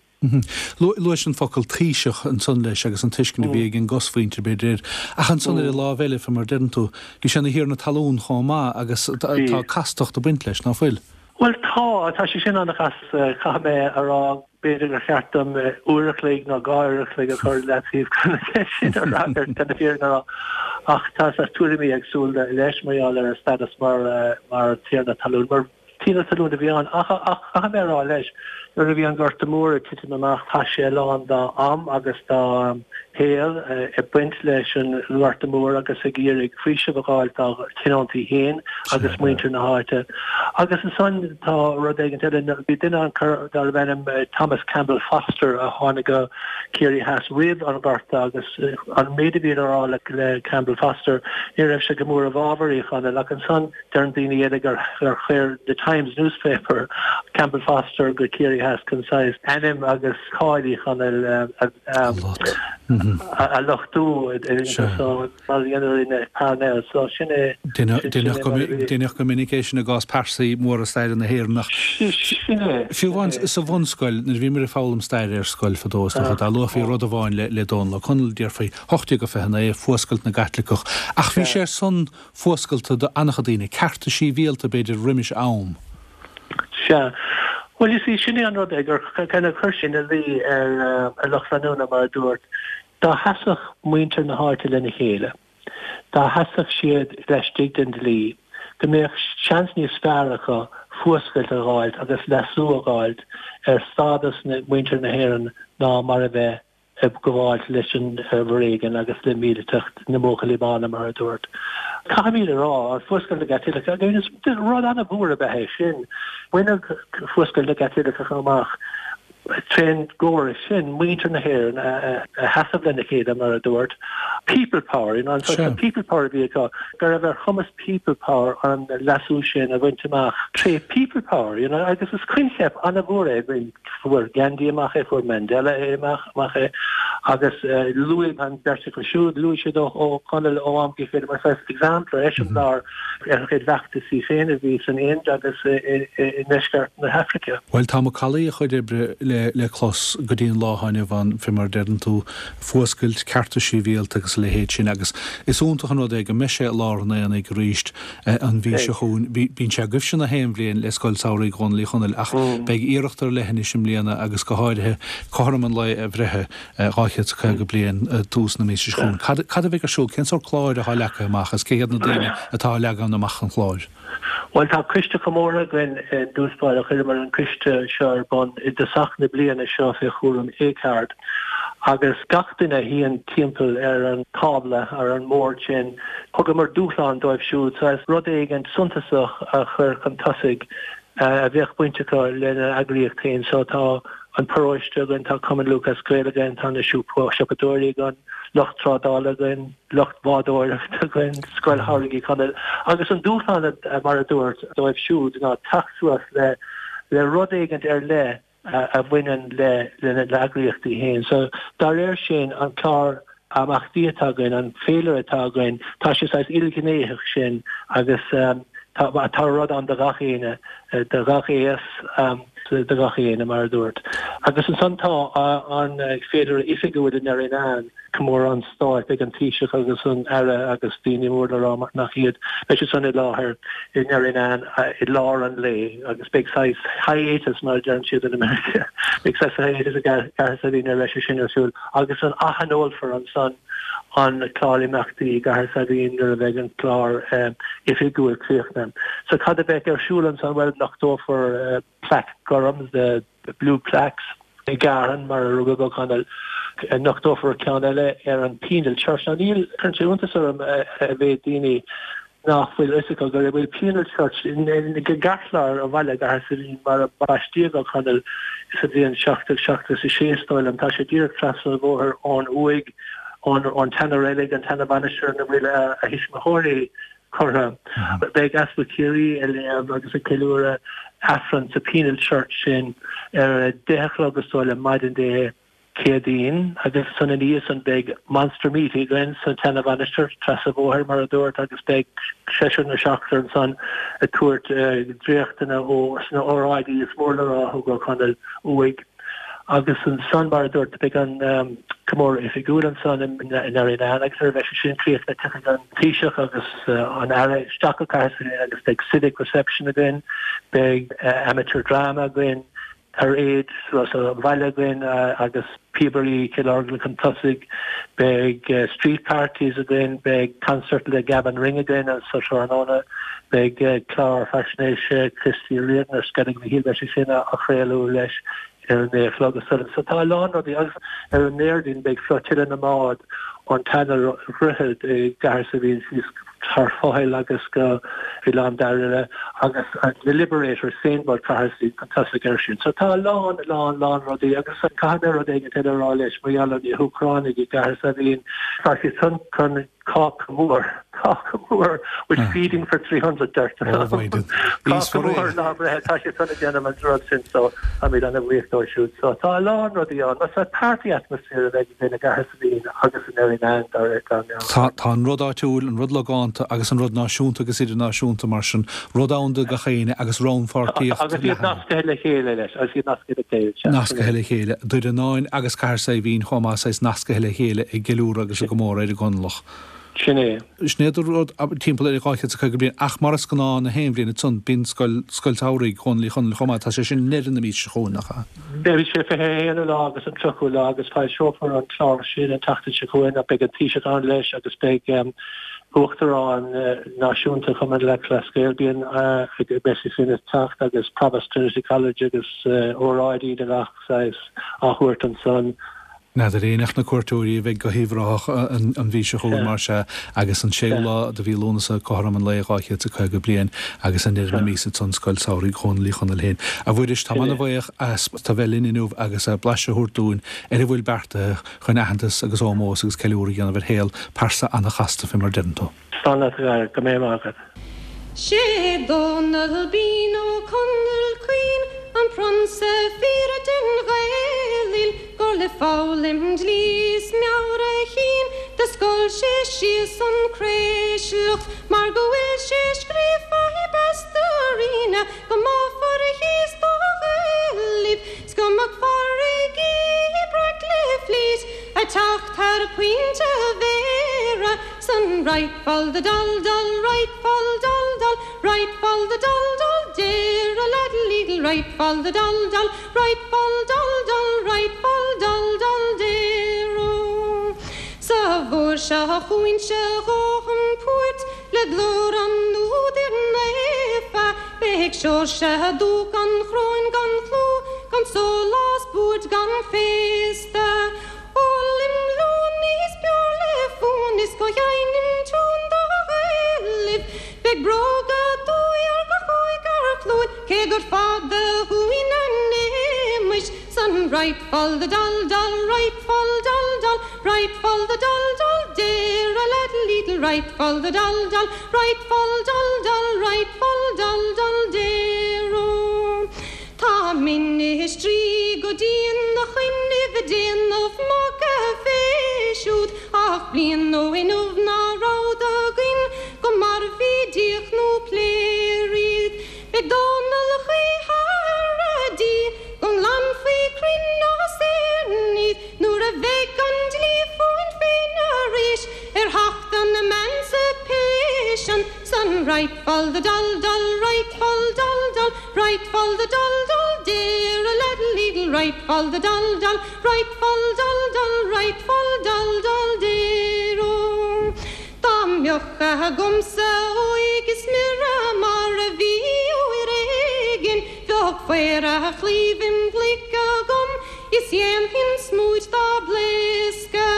Luais an focal 'taoiseach' ansan leis agus an tuiscint a bhí ag an gcosmhuintir, b'fhéidir, air. Ach ansan ar an lámh eile, fé mar a deireann tú, bhí sé ina thiarna talún chomh maith agus tá castacht ag baint leis, ná fuil? Bhuel tá, tá sé sin an-chasta, caithfidh mé a rá. B'fhéidir gur cheart dom uair a chloig nó 2 uair a chloig a chur i leataobh chun an cheist sin a fhreagairt, chun na fírinne a rá. Ach tá saghas tuairimí éagsúla leis mar gheall ar a stádas mar mar thiarna talún. Mar Tiarna talún a bhí ann, ach caithfidh mé a rá leis, nuair a bhí an Gorta Mór ag titim amach, chaith sé a lán dá am agus dá shaol ag baint leis an nGorta Mór agus ag iarraidh faoiseamh a dh'fháilt dá thionóntaí féin agus muintir na háite. Agus ansan tá rud éigint eile, bhí duine ann darbh ainm Thomas Campbell Foster a tháinig go Ciarraí Theas roimh an Ghorta agus an méid a bhí le rá le Campbell Foster, ní raibh sé go mór i bhfabhar Uí Chonaill ach ansan, Deireann daoine eile gur chuir The Times newspaper Campbell Foster go Ciarraí Theas chun saghas ainm agus cáil Uí Chonaill a lochtú so mar a rinne Parnell. So sin é. Deineadh go minic é sin i gcás pearsaí móra staire na hÉireann ach Sin é. Fiú amháin sa bhunscoil, nuair a bhíomar ag foghlaim staire ar scoil fadó is dócha, dá luafaí rud amháin le Dónall Ó Conaill déarfaí 1829, fuascailt na gCaitliceach. Ach bhí sé ar son fuascailte do an-chuid daoine, cearta síbhialta b'fhéidir roimis am. Sea. Bhuel, you see, sin é an rud é, gur kind of chuir sé ina luí ar a lucht leanúna, mar a dúirt, dá sheasfadh muintir na háite lena chéile, dá sheasfadh siad laistigh den dlí, go mbeadh seans níos fearr acu fuascailt a dh'fháilt agus leasú a dh'fháilt ar stádas muintir na hÉireann ná mar a bheith ag gabháilt leis an bhforéigean agus le míliteacht na mBuachaillí Bána, mar a dúirt. Caithfimid a rá, Fuascailt na gCaitliceach, agus rud an-mhór ab ea é sin. Baineadh Fuascailt na gCaitliceach amach trén gcóras sin, muintir na hÉireann a sheasamh lena chéile, mar a dúirt. People power, you know, an sórt people power a bhí acu, go raibh ar chumas people power an leasú sin a bhaint amach tré people power, you know, agus is coincheap an-mhór é. Fuair Gandhi amach é, fuair Mandela é amach amach é agus luaigh an bheirt acu siúd, luaigh siad Ó Conaill ó am go chéile mar saghas exemplar, eiseamláir ar a chuid bhfeachtasaí féin a bhí san Ind agus i ndeisceart na hAfraice. Bhuel, tá macallaí a chuid oibre le clos go dtí an lá atá inniu ann, fé mar a deireann tú, fuascailt, cearta síbhialta agus a leithéid sin agus is iontach an rud é go mbeidh sé i lár an aonaigh arís an mhí seo chugainn. Bíonn sé agaibhse na haon bhliain le Scoil Samhraidh Dhónaill Uí Chonaill ach beidh iarracht ar leith anois i mbliana agus go háirithe cothrom an lae a bhreithe, 250 bliain tús na míosa seo chugainn. Cad cad a bheidh ar siúl? Cén sórt cláir atá leagtha amach agus cé hiad na daoine atá ag leagan amach an chláir? Bhuel, tá coiste comórtha againn i dtús báire. Chuireamar an coiste seo ar bun i dtosach na bliana seo fé chúram Acard agus gach duine a shuíonn timpeall ar an tábla, ar an mbord sin, Thugamar dúshlán dóibh siúd saghas rud éigin suntasach a chur chun tosaigh a bheadh baint acu lena n-eagraíocht féin. So tá an paróiste againn, tá Cumann Lúthchleas Gael againn, tá na siopadóirí againn, lucht trádála againn, lucht bádóireachta againn, Scoil Shamhraidh Uí Chonaill. Agus an dúshlán, mar a dúirt, dóibh siúd ná teacht suas le le rud éigin ar leith a bhaineann lena n-eagraíochtaí féin. So, dá réir sin, an clár imeachtaí atá againn, an féilire atá againn, tá sé saghas ilghnéitheach sin agus tá rud ann do gach éinne, do gach aos. do gach éinne, mar a dúrt. Agus ansan tá an féilire oifigiúil i nDerrynane, comóradh an Stáit, beidh an Taoiseach agus an Aire agus daoine mór le rá nach iad, beidh siad san i láthair i nDerrynane i lár an lae agus beidh saghas hiatus mar a deireann siad in America, beidh saghas hiatus i gCathair Saidhbhín nuair a bheidh sé sin ar siúl agus an aththionólfar ansan an clár imeachtaí i gCathair Saidhbhín nuair a bheidh an clár oifigiúil críochnaithe. So cad a bheidh ar siúl ansan? Bhuel nochtófar plaic gorm, the blue plaques, i gCeatharlach mar a rugadh Ó Conaill. Nochtófar ceann eile ar an Penal Church. Now níl, cuireann sé iontas orm a mhéid daoine nach bhfuil fhios acu go bhfuil Penal Church i gceartlár an bhaile, i gCathair Saidhbhín, mar a baistíodh Ó Conaill sa bhliain 1776 is dóigh liom. Tá sé díreach trasna an bhóthair ón uaigh, ón tseana-reilig, an tseana-mhainistir ina bhfuil a thuismitheoirí curtha. Beidh Easpag Chiarraí ag léamh agus ag ceiliúradh Aifreann sa Penal Church sin ar a 10 a chlog is dóigh liom maidin Dé Céadaoin agus ansan ina dhiaidh san beidh Monster Meet againn sa tseana-mhainistir, trasna an bhóthair mar a dúrt agus beidh seisear nó seachtar ansan ag tabhairt dréachtanna ó sna óráidí is mór le rá a thug Ó Conaill uaidh. Agus ansan mar a dúrt beidh an comóradh oifigiúil ansan i nDerrynane agus nuair a bheidh sé sin críochnaithe tiocfaidh an Taoiseach agus an Aire isteach go Cathair Saidhbhín agus beidh civic reception againn, beidh amateur drama againn, Paráid sa bhaile againn agus píobairí Chill Orglan chun tosaigh. Beidh street parties againn, beidh concert le Gavin Ring againn sa tráthnóna, beidh clár faisnéise Christy Riordan ar Sceilg Mhichíl, beidh sé sin á chraoladh leis ar a naoi a chlog. So tá a lán rudaí agus ar an nDéardaoin beidh flotilla na mbád ón tseana-dhroichead i gCathair Saidhbhín síos thar Fothaill agus go Oileán Dairbhre agus na Liberators, Sailboat Chathair Saidhbhín chun tosaigh air sin. So tá a lán, lán, lán rudaí agus caithfidh mé rud éigin eile a rá leis mar gheall ar na hÚcránaigh i gCathair Saidhbhín. Tá siad san chun cáca mór, cáca mór with feeding for 300 deirtear. Cáca mór lá breithe, tá siad san ag déanamh an rud sin so táimid ana-bhuíoch dóibh siúd. So tá a lán rudaí ann. Is party atmosphere a bheidh againn i gCathair Saidhbhín agus i nDerrynane dá meabhair. Tá an rud áitiúil, an rud logánta agus an rud náisiúnta agus idirnáisiúnta mar sin, rud ann do gach éinne agus rannpháirtíocht leathan. Agus iad nascaithe le chéile leis, agus iad nascaithe le chéile, sea. Nascaithe le chéile. Doire Fhionáin agus Cathair Saidhbhín chomh maith, saghas nascaithe le chéile ag gceiliúradh agus ag gcomóradh ar an gConallach. Sin é. Sin é do rud timpeall ar 250 bliain ach mar is gnáth na haon bhliain ansan bíonn scoil, Scoil Samhraidh Dhónaill Uí Chonaill chomh maith, tá sé sin i ndeireadh na míosa seo chugainn, nach ea? Beidh sé 21ú lá agus an 30ú lá agus foilseofar an clár sin an tseachtain seo chugainn ach beidh an Taoiseach ann leis agus beidh Uachtarán Náisiúnta Chumann Lúthchleas Gael, bíonn, beidh sé sin ag teacht agus Provost Trinity College agus óráidí de gach saghas á thabhairt ansan. N'fheadar éinne ach na cuairteoirí a bheidh go hUíbh Ráthach an mhí seo chugainn, mar sea, agus an séú lá de mhí Lúnasa, cothrom an lae 250 bliain agus i ndeireadh na míosa ansan Scoil Samhraidh Dhónaill Uí Chonaill féin. A Mhuiris, táim ana-bhuíoch as tu bheith linn inniu agus blaiseadh a thabhairt dúinn ar a bhfuil beartaithe chun aitheantas agus ómós agus ceiliúradh a dhéanamh ar shaol pearsa ana-chasta fé mar deireann tú. Slán leat a Dhara, go mbeidh maith agat. Sé Dónall Binn Ó Conaill Caoin an prionsa fíre den Ghaelainn gur le foghlaim dlí is meabhair a chinn do scoil sé síos an Chraoslach mar go bhfuil sé scríofa i bPastorina go mbáfar thíos do Ghaelaibh 's go mbeadh farraigí breac le flít a' teacht thar Pointe Bhéarra 'san right fal the dal dal right fal dal dal right fal the dal dal dear a laddle leedle right fal the dal dal right fal dal dal right fal dal dal dear o. Sa bhfuair seo chugainn se dhóthain poirt Le glór an údair naofa, beidh Seoirse Dúch an Chróin gan chlú, gan sólás buairt gan féasta. Ólaim liún is beoir le fún is go sheinnim tiún do Ghaelaibh. Beidh bróga dúigh ar gach cúigear cluain, cé gur fada uainn a n-éamais. San right fal the dal dal right fal dal dal right fal the dal dal dear a laddle leedle right fal the dal dal right fal dal dal right fal dal dal dear o. Tá ministrí go dian 'na choinnibh ag déanamh magadh fé siúd ach bliain ó inniu ná rabhadar againn go mairbhí díoch nó pléar iad. Beidh Dónall choíche ar a dtí. fal the dal dal, right fal dal dal, right fal dal dal dero. Dá mbeadh agamsa óig is mire mar a bhí uair éigin, bheadh faor a chlaímh im ghlaic agam is dhéanfainn smúit dá blaosca.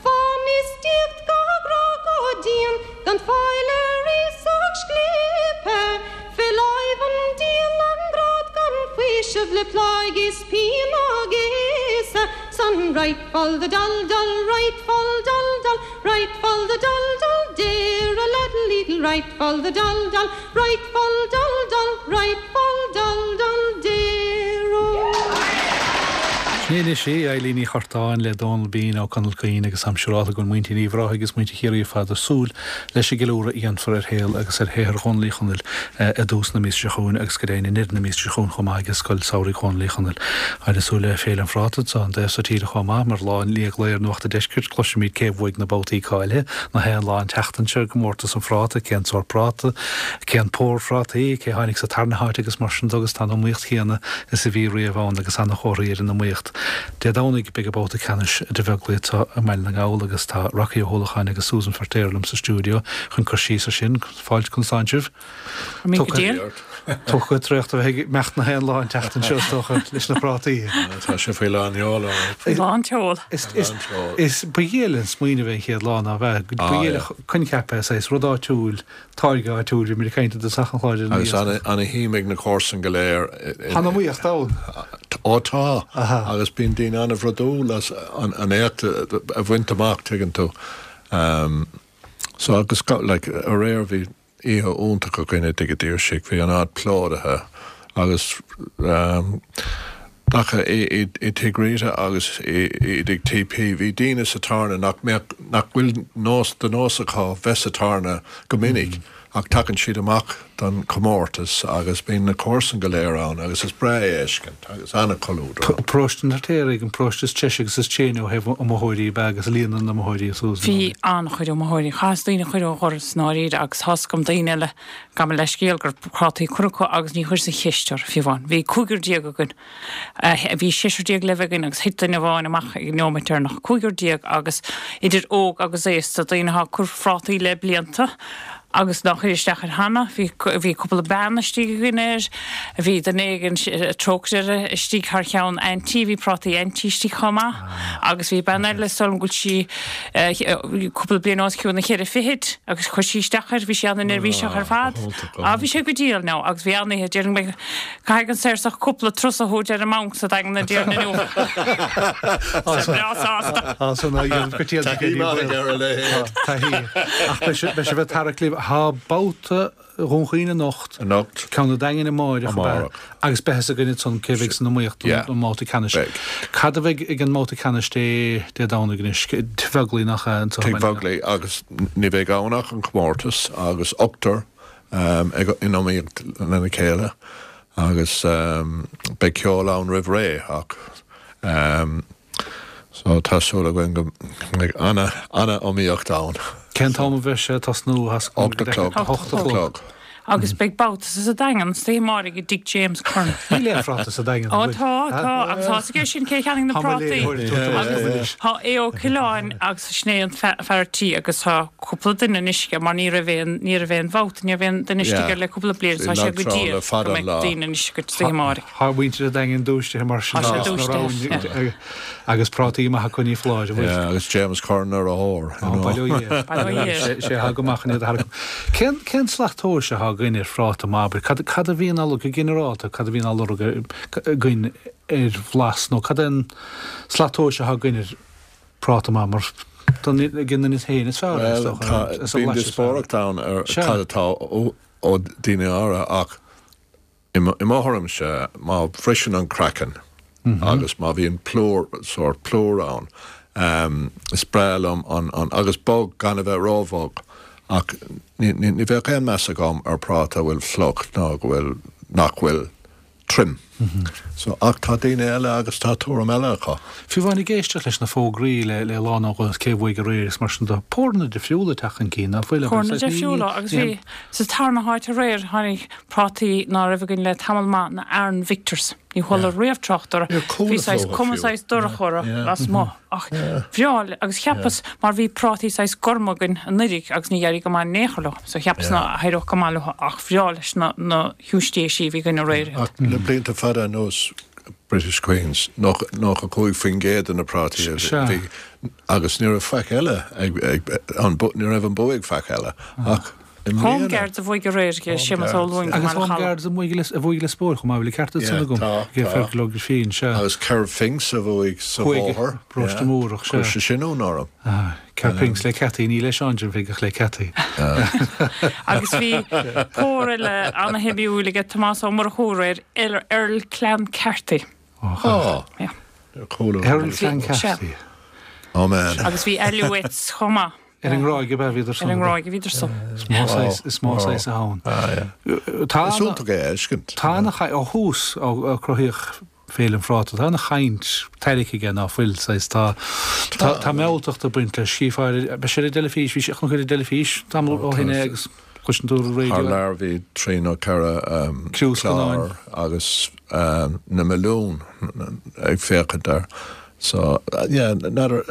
Fann is diacht gá gcrá go dian gan faill ar iasacht scléipe fé láimh an diabhail an grád gan faoiseamh le pláigh is pian á gcéasadh san right fal the dal dal right fal dal dal right fal the dal dal dear a leddle leedle right fal the dal dal right fal dal dal right fal dal dal dear oh. Sin í anois í, Eilín Ní Churtáin le Dónal Bean Ó Conaill Caoin agus táim siúrálta go bhfuil muintir Uíbh Ráthaigh agus muintir Chiarraí ar fad ag súil leis an gceiliúradh a dhéanfar ar shaol agus ar shaothar Dhónaill Uí Chonaill i dtús na míosa seo chugainn agus go deimhin i ndeireadh na míosa seo chugainn chomh maith ag Scoil Samhraidh Dhónaill Uí Chonaill. Táid ag súil le Féile an Phráta anseo an taobh so tíre chomh maith mar lá i ndiaidh lae ar Nuacht an Deiscirt cloisfimid cé bhuaigh na babhtaí cáilithe na haon lá an tseachtain seo i gcomórtas an phráta, cén sórt práta, cén pór phrátaí, cé tháinig sa tarna háit agus mar sin de agus tá an iomaíocht chéanna is a bhí riamh ann agus ana-chomharthaí ar an iomaíocht. Dé Domhnaigh beidh an babhta ceannais idir Bheaglaoich anseo i mBaile na nGall agus tá Rocky Ó hUallacháin agus Susan Feirtéar liom sa stiúideo chun cur síos ar sin. Fáilte chun tsoin sibh. Tugtha traochta a bheith ag imeacht na haon lá an tseachtain seo is dócha leis na prátaí. Tá sé faoi lán sheol ann. Faoi lán tseol. Is ba dhiail an smaoineamh é an chéad lá ná bheith. Ba dhiail an coincheap é saghas rud áitiúil, táirge áitiúil, bhí muid ag caint i dtosach an chláir ar an Agus ana-shuim ag na comharsain go léir. Tá an iomaíocht ann. Ó tá. Agus bíonn daoine an-bhrodúil as an éacht a bhaint amach, tuigeann tú. So agus like aréir bhí oíche iontach againn i dTigh an tSaoirsigh, bhí an áit plódaithe agus nach i Tigh Rita agus i dTigh TP bhí daoine sa tábhairne nach mbeadh, nach bhfuil nós, de nós acu bheith sa tábhairne go minic ach tagann siad amach don chomórtas agus bíonn na comharsain go léir ann agus is breá é a fheiscint agus ana-chomhluadar ann. Paróiste an Fheirtéaraigh, an paróiste is treise agus is tréine ó thaobh iomaitheoirí ab ea agus líon na n-iomaitheoirí a Susan. Bhí an-chuid iomaitheoirí. Chaitheas daoine chuile ó dhoras i ndáiríre agus tá's agam daoine eile, gabh mo leithscéal, go raibh prátaí curtha acu agus ní chuireas an cheist orthu fiú amháin. Bhí cúigear déag againn. Bhí seisear déag le bheith againn agus thit duine amháin amach ag an neomat deireanach. Cúigear déag agus idir óg agus aosta, daoine atá ag cur phrátaí le blianta agus nár chuir isteach air cheana. Bhí bhí cúpla bean istigh againn air. Bhí duine éigin, trócaire istigh thar cheann auntie, bhí prátaí auntie istigh chomh maith. Agus bhí bean eile, is dóigh liom go bhfuil sí cúpla bliain os cionn na cheithre fichid agus chuir sí isteach air, bhí sí an-neirbhíseach ar fad. Á bhí sé go diail now agus bhí an-oíche, déarfainn go mbeidh Caithfidh an Saorsach cúpla turas a thabhairt ar an mbanc sa Daingean an déardaoin inniu. Tá sé breá sásta. Tá san á dhéanamh go tíolactha Taithí maith aige ar a leithéid. Taithí. Ach beidh sé beidh sibh ag tarrac libh. Tá babhta Dhún Chaoin anocht. Anocht. Ceann an Daingin amáireach ab ea? Amárach. Agus beidh fhios againn ansan cé a bheidh san iomaíocht Yeah. don mbabhta ceannais. Beidh. Cad a bheidh ag an mbabhta ceannais Dé Dé Domhnaigh anois? Tigh Bheaglaoich nach ea anso? Tigh Bheaglaoich agus ní bheidh ann ach an comórtas agus ochtar ag in iomaíocht lena chéile agus beidh ceol ann roimh ré ach so tá súil againn go mbeidh ana ana iomaíocht ann. Cén t-am a bheidh sé ag tosnú? 8 a chlog. 8 a chlog. Agus beidh babhta sa Daingean istoíche amáireach i dtigh James Curran. Níl aon phráta sa Daingean, Ó tá, tá, agus tá fhios aige sin cé cheannaigh na prátaí. Agus tá Aodh Ó Coileáin agus sin é an fear tí agus tá cúpla duine anois aige mar ní raibh aon, ní raibh aon bhabhta, ní raibh aon duine istigh air le cúpla bliain, tá sé go diail go mbeidh daoine anois go istoíche amáireach. Tá muintir an Daingin dúisithe mar sin Tá sé dúisithe, yeah. Agus prátaí maithe acu ní foláir, an bhfuil? Yeah, agus James Curran ar a thóir, you know. Bail ó Dhia air. Bail ó Dhia air. Sé atá go maith chun iad a tharrac. Cén, cén slat tomhais atá againn ar phráta maith, abair? Cad, cad a bhíonn á lorg, go ginearálta, cad a bhíonn á lorg againn ar bhlas nó cad é an slat tomhais atá againn ar práta maith mar don ag an duine féin is fearr é, is Bhuel, dócha, tá, is a bíonn bhlais is fearr. díospóireacht ann ar Sea. cad atá ó, ó daoine áirithe ach I mo thuairimse, má bhriseann an craiceann agus má bhíonn plúr, sórt plúr ann, is breá liom an, an, agus bog, gan a bheith róbhog, ach ní, ní, ní bheadh aon meas agam ar práta a bhfuil fliuch ná go bhfuil, nach bhfuil tirim. So, ach tá daoine eile agus tá tuairim eile acu. Fiú amháin ag éisteacht leis na fógraí le, le lá nó dhó cé bhuaigh aréir agus mar sin de, póranna difriúla ag teacht chun cinn, ná fuil? Póranna difriúla agus bhí, sa tarna háit aréir, tháinig prátaí ná raibh againn le tamall maith, na Arran Victors. Ní chuala riamh trácht orthu. Bhí saghas cuma saghas dorcha orthu lasmuigh ach bhreá agus cheapas mar bhí prátaí saghas gorma againn anuiridh agus ní éirigh go maith in aon chor leo so cheapas ná héireodh go maith leo ach bhreá leis na na giúistéisí a bhí againn aréir iad. Ach le blianta fada anuas British Queens, 95% de na prátaí a bhí agus ní raibh faic eile ag ní raibh an bua ag faic eile ach i mbliana. Home Guards a bhuaigh aréir, Séamus Ó Luing Agus Home Guards a bhuaigh Lios Póil chomh maith, bhfuil an ceart san agam? Ag Fergal Ó Grifín, sea. Agus Kervpinks a bhuaigh sa bhóthar. Paróiste Múrach, sea. Chuir sé sin ionadh orm. Kerr Pinks le Ceataí, ní le Seán Jim Pheig ach le Ceataí. Agus bhí pór eile ana-shuimiúil aige Tomás Ó Murchú aréir, Earl Clancarty. Ó, Yeah. Earl Clancarty. Oh man. Agus bhí Alouettes chomh maith. Ar an nGráig ab ea bhíodar san. Ar an nGráig a bhíodar san. Is maith saghas, is maith saghas a ann. Tá. Is iontach é a fheiscint. Tá ana, ó thús, ó cruthaíodh Féile an Phráta. Tá ana-chaint tarraicthe aige ná fuil, saghas, tá, tá, tá mealltacht ag baint leis. Chífeá ar, beidh sé ar an dteilifís, bhí sé, chonac ar an dteilifís tamall ó shin é agus cloiseann tú ar an raidió. Thar lear bhí trí nó 4 clár agus na milliúin ag féachaint air. So, yeah, n'fheadar,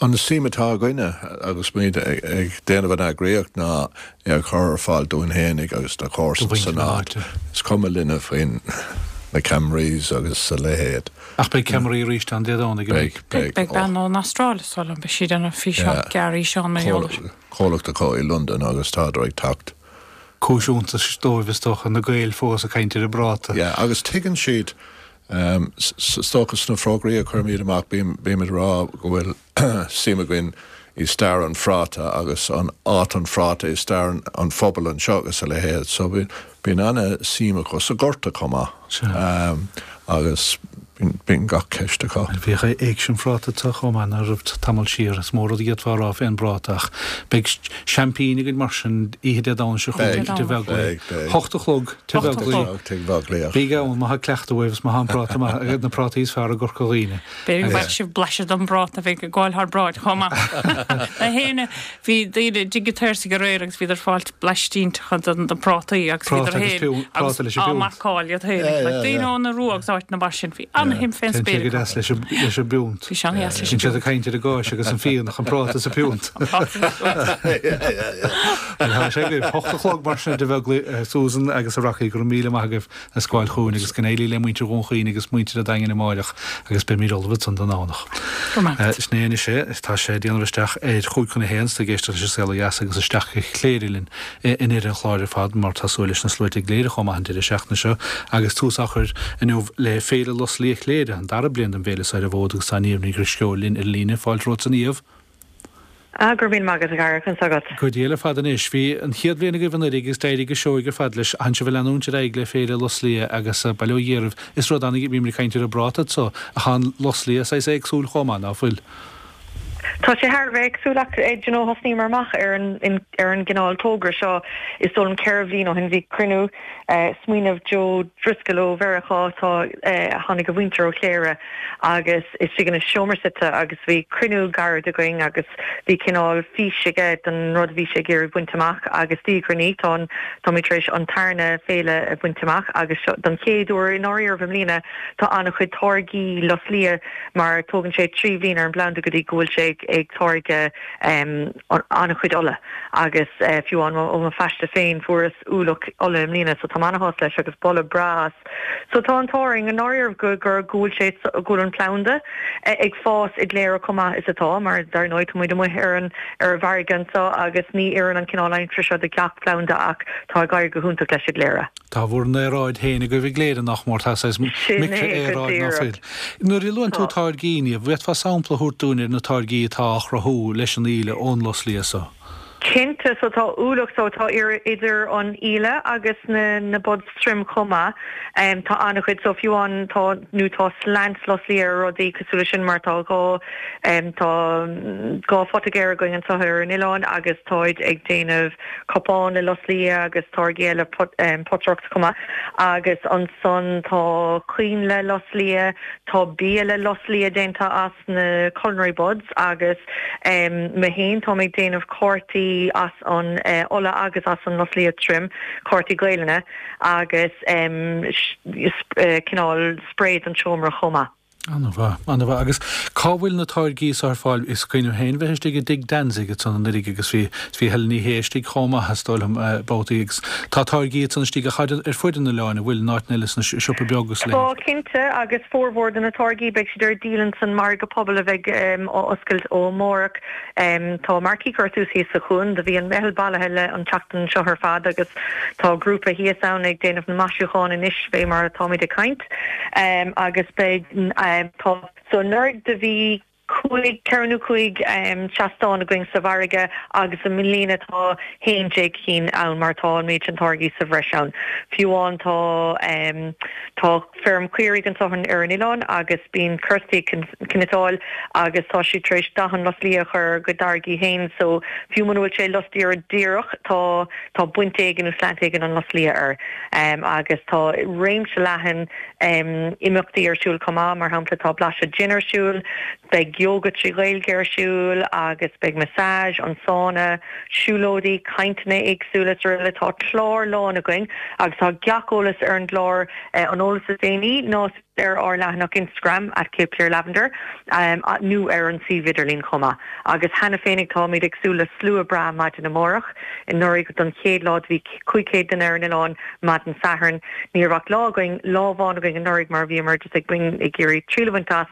An suim atá againne agus muid ag déanamh an eagraíocht ná é a chur ar fáil dúinn fhéinig agus do chomharsana san áit. Is cuma linne faoin na ceamaraí agus a leithéid. Ach beidh ceamaraí arís ann Dé Domhnaigh, an mbeidh? Beidh, beidh. Beidh bean ón Astráil is dóigh liom, beidh sí ag déanamh físeán, gearr fhíseán mar gheall air. Comhlacht acu i Londain agus tádar ag teacht. Cúis iontais dóibh is dócha, na Gaeil fós ag caint ar an bpráta. Yeah, agus tuigeann siad Is dócha sna fógraí a chuirimid amach bímid ag rá go bhfuil suim againn i stair an phráta agus an áit an phráta i stair an phobail anseo agus a leithéid. So bíonn ana-suim acu sa Ghorta chomh maith agus bíonn gach ceist acu. Bhíodh Éigse an Phráta anseo chomh maith ná raibh tamall siar. Is mó rud a d'fhéadfá a rá fén bpráta ach beidh seaimpín againn mar sin oíche Dé Domhnaigh seo chugainn i dTigh Bheaglaoich. 8 a chlog. Tigh Bheaglaoich. Bígí ann má tá cleachtadh uaibh is má tá an práta maith, na prátaí is fearr i gCorca Dhuibhne. B'fhéidir go bhfaighidh sibh blaiseadh den bpráta a bheidh ag gabháil thar bráid chomh maith. Na héinne, bhí daoine i dTigh an tSaorsaigh aréir agus bhíodar ag fáilt blaistínteacha de na prátaí agus bhíodar féin agus á marcáil iad féin. Like daoine ón Iorua agus áiteanna mar sin. Bhí ana-shuim fén spéir acu. Téann sé go deas leis an bpiúnt. Bhí sé an-dheas leis an bpiúnt. Bíonn siad ag caint ar an gcáis agus an fíon ach an práta is an piúnt. An práta is an piúnt. Bhuel, tá sé agaibh. 8 a chlog mar sin i dTigh Bheaglaoich, Susan agus a Rocky, go raibh míle maith agaibh as gabháil chugainn agus go n-éirí le muintir Dhún Chaoin agus muintir an Daingin amáireach agus beimid ullamh ansan don Domhnach. Go raibh maith agat. Sin é anois é. Tá sé ag déanamh isteach ar chúig chun a haon, is tú ag éisteacht leis an Saol Ó Dheas agus isteach go Cléire linn i ndeireadh an chláir ar fad mar tá súil leis na sluaite i gCléire chomh maith an deireadh seachtaine seo agus tús á chur inniu le Féile Lus Liath Chléire, an dara bliain den bhféile seo ar an bhfód agus tá Niamh Ní Dhrisceoil linn ar an líne. Fáilte romhat a Niamh. Ah, go raibh míle maith agat, a Dhara, conas tá agat? Go diail ar fad anois. Bhí an chéad bhliain agaibh anuraidh agus d'éirigh go seoigh ar fad leis. Tánn sibh ag leanúint ar aghaidh le Féile Lus Liath agus bail ó Dhia oraibh. Is rud an, bhíomar ag caint ar an bpráta anso, ach tá an lus liath saghas éagsúil chomh maith, ná fuil? Tá sé thar a bheith éagsúil ach, do you know, thosnaíomar amach ar an ar an gcineál togra seo is dóigh liom 4 bhliain ó shin. Bhí cruinniú, smaoineamh Joe Driscoll ó Mheiriceá, tá, tháinig a mhuintir ó Chléire agus istigh ina seomra suite agus bhí cruinniú gairid againn agus bhí cineál fís aige don rud a bhí sé ag iarraidh baint amach agus diaidh ar ndiaidh tá an, táimid tar éis an tarna féile a bhaint amach agus seo don chéad uair i ndáiríribh i mbliana tá an-chuid táirgí lus liath mar tógann sé 3 bhliain ar an bplanda go dtí go bhfuil sé ag táirgeadh an-chuid ola agus fiú amháin ó mo phaiste féin fuaireas ualach ola i mbliana so táim ana-shásta leis agus boladh breá as. So tá an t-ádh orainn i ndáiríribh go gur go bhfuil sé go bhfuil an planda ag fás i gCléire chomh maith is atá mar dar ndóigh tá muid amuigh ar an ar an bhfarraige anseo agus ní oireann an cineál aimsire seo do gach planda ach tá ag éirí go hiontach leis i gCléire. Tá bhur n-aeráid féin agaibh i gCléire nach mór, tá saghas Sin é go micrea-aeráid ná díreach. fuil. Nuair a luann tú Tá. táirgí, Niamh, bhféadfá sampla a thabhairt dúinn ar na táirgí atá á chruthú leis an íle ón lus liath so? Cinnte, so tá ualach, so tá idir an íle agus na na buds tirim chomh maith. Tá an-chuid, so fiú amháin tá, nó tá slant lus liath ar rudaí cosúil leis sin mar tá dhá, tá dhá photaigéir againn anseo ar an oileán agus táid ag déanamh cupán le lus liath agus táirgí eile potaireacht chomh maith. Agus ansan tá coinnle lus liath, tá bia le lus liath déanta as. na culinary buds agus mé féin táim ag déanamh cártaí. cártaí as an ola agus as an lus liath tirim, cártaí Gaelainne agus cineál sprae don seomra chomh maith. An-mhaith, an-mhaith. Agus cá bhfuil na táirgí so ar fáil? Is cuimhin liom féin bheith istigh i dTigh Danzig ansan anuraidh agus bhí, bhí Helen Ní Shé istigh chomh maith is dóigh liom, babhtaí agus tá táirgí ansan istigh ach ar fuid an oileáin, an bhfuil, in áiteanna eile sna siopa beag agus a leithéid? Tá, cinnte, agus formhór de na táirgí beidh siad ar díol ins an margadh pobail a bheidh á oscailt ó amárach. Tá marquee curtha suas thíos sa chuan. Do bhí an meitheal bailithe le an tseachtain seo ar fad agus tá grúpa thíos ann ag déanamh na maisiúcháin anois fé mar atáimid ag caint. Agus beidh, tá, so anuraidh do bhí cúig, ceithre nó cúig seastán againn sa mhargadh agus i mbliana tá 11 cinn ann mar tá an méid sin táirgí sa bhreis ann. Fiú amháin tá, tá feirm caoirigh anseo ar an oileán agus bíonn Kirsty ag cniotáil agus tá sí tar éis dath an lus liath a chur ar a gcuid táirgí féin so fiú muna bhfuil sé lus liath díreach tá, tá baint éigin nó slant éigin an lus liath air. Agus tá réimse leathan imeachtaí ar siúl chomh maith, mar shampla tá blaiseadh gin ar siúl, beidh yoga 3 Ghaeilge ar siúl agus beidh massage, an sauna, siúlóidí, cainteanna éagsúla is araile. Tá clár lán againn agus tá gach eolas ar an gclár, an eolas is déanaí ná. ar ár leathanach Instagram at Cape Clear Lavender nó ar an suíomh idirlín chomh maith. Agus cheana féinig táimid ag súil le slua breá maidin amárach. Anuraidh don chéad lá do bhí 500 duine ar an oileán maidin Sathairn. Ní raibh ach lá againn, lá amháin againn anuraidh mar bhíomar just ag bain ag iarraidh triail a bhaint as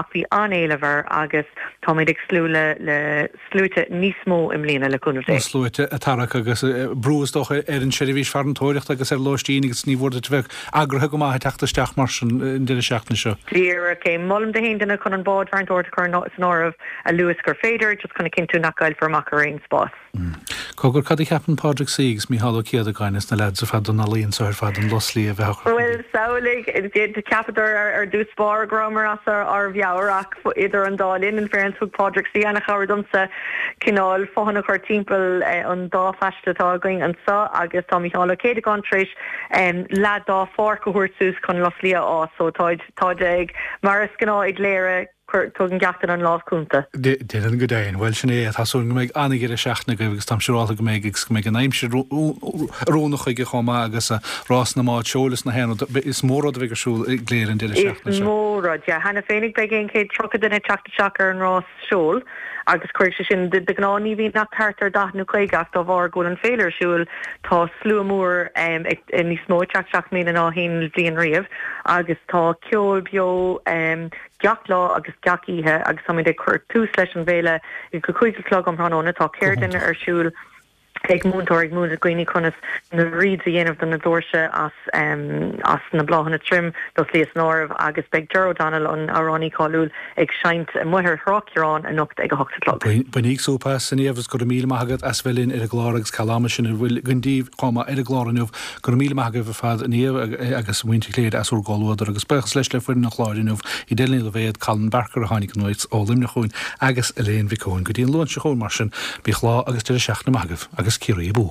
ach bhí an-éileamh air agus táimid ag súil le le sluaite níos mó i mbliana, le cúnamh Dé. Na sluaite ag tarrac agus brú is dócha ar an seirbhís farantóireachta agus ar lóistín agus ní mhór duit a bheith eagraithe go maith ag teacht isteach mar sin an deireadh seachtaine seo. Díreach é. Molaim do haon duine chun an bád farantóireachta a chur san áireamh a luaithe is gur féidir, just chun a chinntiú nach gcaillfear amach ar aon spás. Cogar, cad a cheapann Pádraig Seoighe agus Mícheál Ó Céadagáin is na leaids ar fad don ealaíon so ar fad an lus liath a bheith á chur chun Bhuel, samhlaigh, cheapadar ar dtús báire go rabhamar as ár mheabhair ach idir an dá linn, in fairness, thug Pádraig Seoighe an-chabhair domsa cineál fothain a chur timpeall an dá phaiste atá againn anseo agus tá Mícheál Ó Céadagáin tar éis leath dá pháirc a thabhairt suas chun lus liath a fhás so táid, táid ag, mar is gnáth i gCléire, Tugann gach duine an lámh cúnta. Déarfainn go deimhin. Bhuel, sin é. Tá súil go mbeidh an-dheireadh seachtaine agaibh agus táim siúrálta go mbeidh agus go mbeidh an aimsir oiriúnach chuige chomh maith agus rás na mbád seoil is na haon rud. Is mór rud a bheidh ar siúl i gCléire an deireadh seachtaine seo. Is mór rud, yeah. Cheana féinig beidh 130 duine ag teacht isteach ar an rás seoil agus cuirfidh sé sin, de ghnáth ní bhíonn ach thart ar 40 nó 50 ach dá bharr go bhfuil an féile ar siúl tá slua mór níos mó ag teacht isteach i mbliana ná haon bhliain riamh agus tá ceol beo gach lá agus gach oíche agus táimid ag cur tús leis an bhféile ag a 5 a chlog um thráthnóna. Tá ceardlann ar siúl ag múinteoir ag múineadh dhaoine conas na wreaths a dhéanamh do na doirse as as na bláthanna tirim, lus liath san áireamh, agus beidh Ger O'Donnell, an amhránaí cáiliúil, ag seinnt amuigh ar Thrá Chiaráin anocht ag a hocht a chlog. Bainíg súp as, a Niamh, agus go raibh míle maith agat as bheith linn ar an gclár agus ceal ama sin a bhfuil againn daoibh chomh maith ar an gclár inniu. Go raibh míle maith agaibh ar fad, a Niamh agus muintir Chléire as bhur gcomhluadar agus buíochas leis le foireann an chláir inniu, Edel Ní Loibhéad, Colin Barker a tháinig anuas ó Luimneach chugainn agus Elaine Mhic Eoin. Go dtí an Luan seo chugainn mar sin, bíodh lá agus deireadh seachtaine maith agaibh agus Ciarraí abú!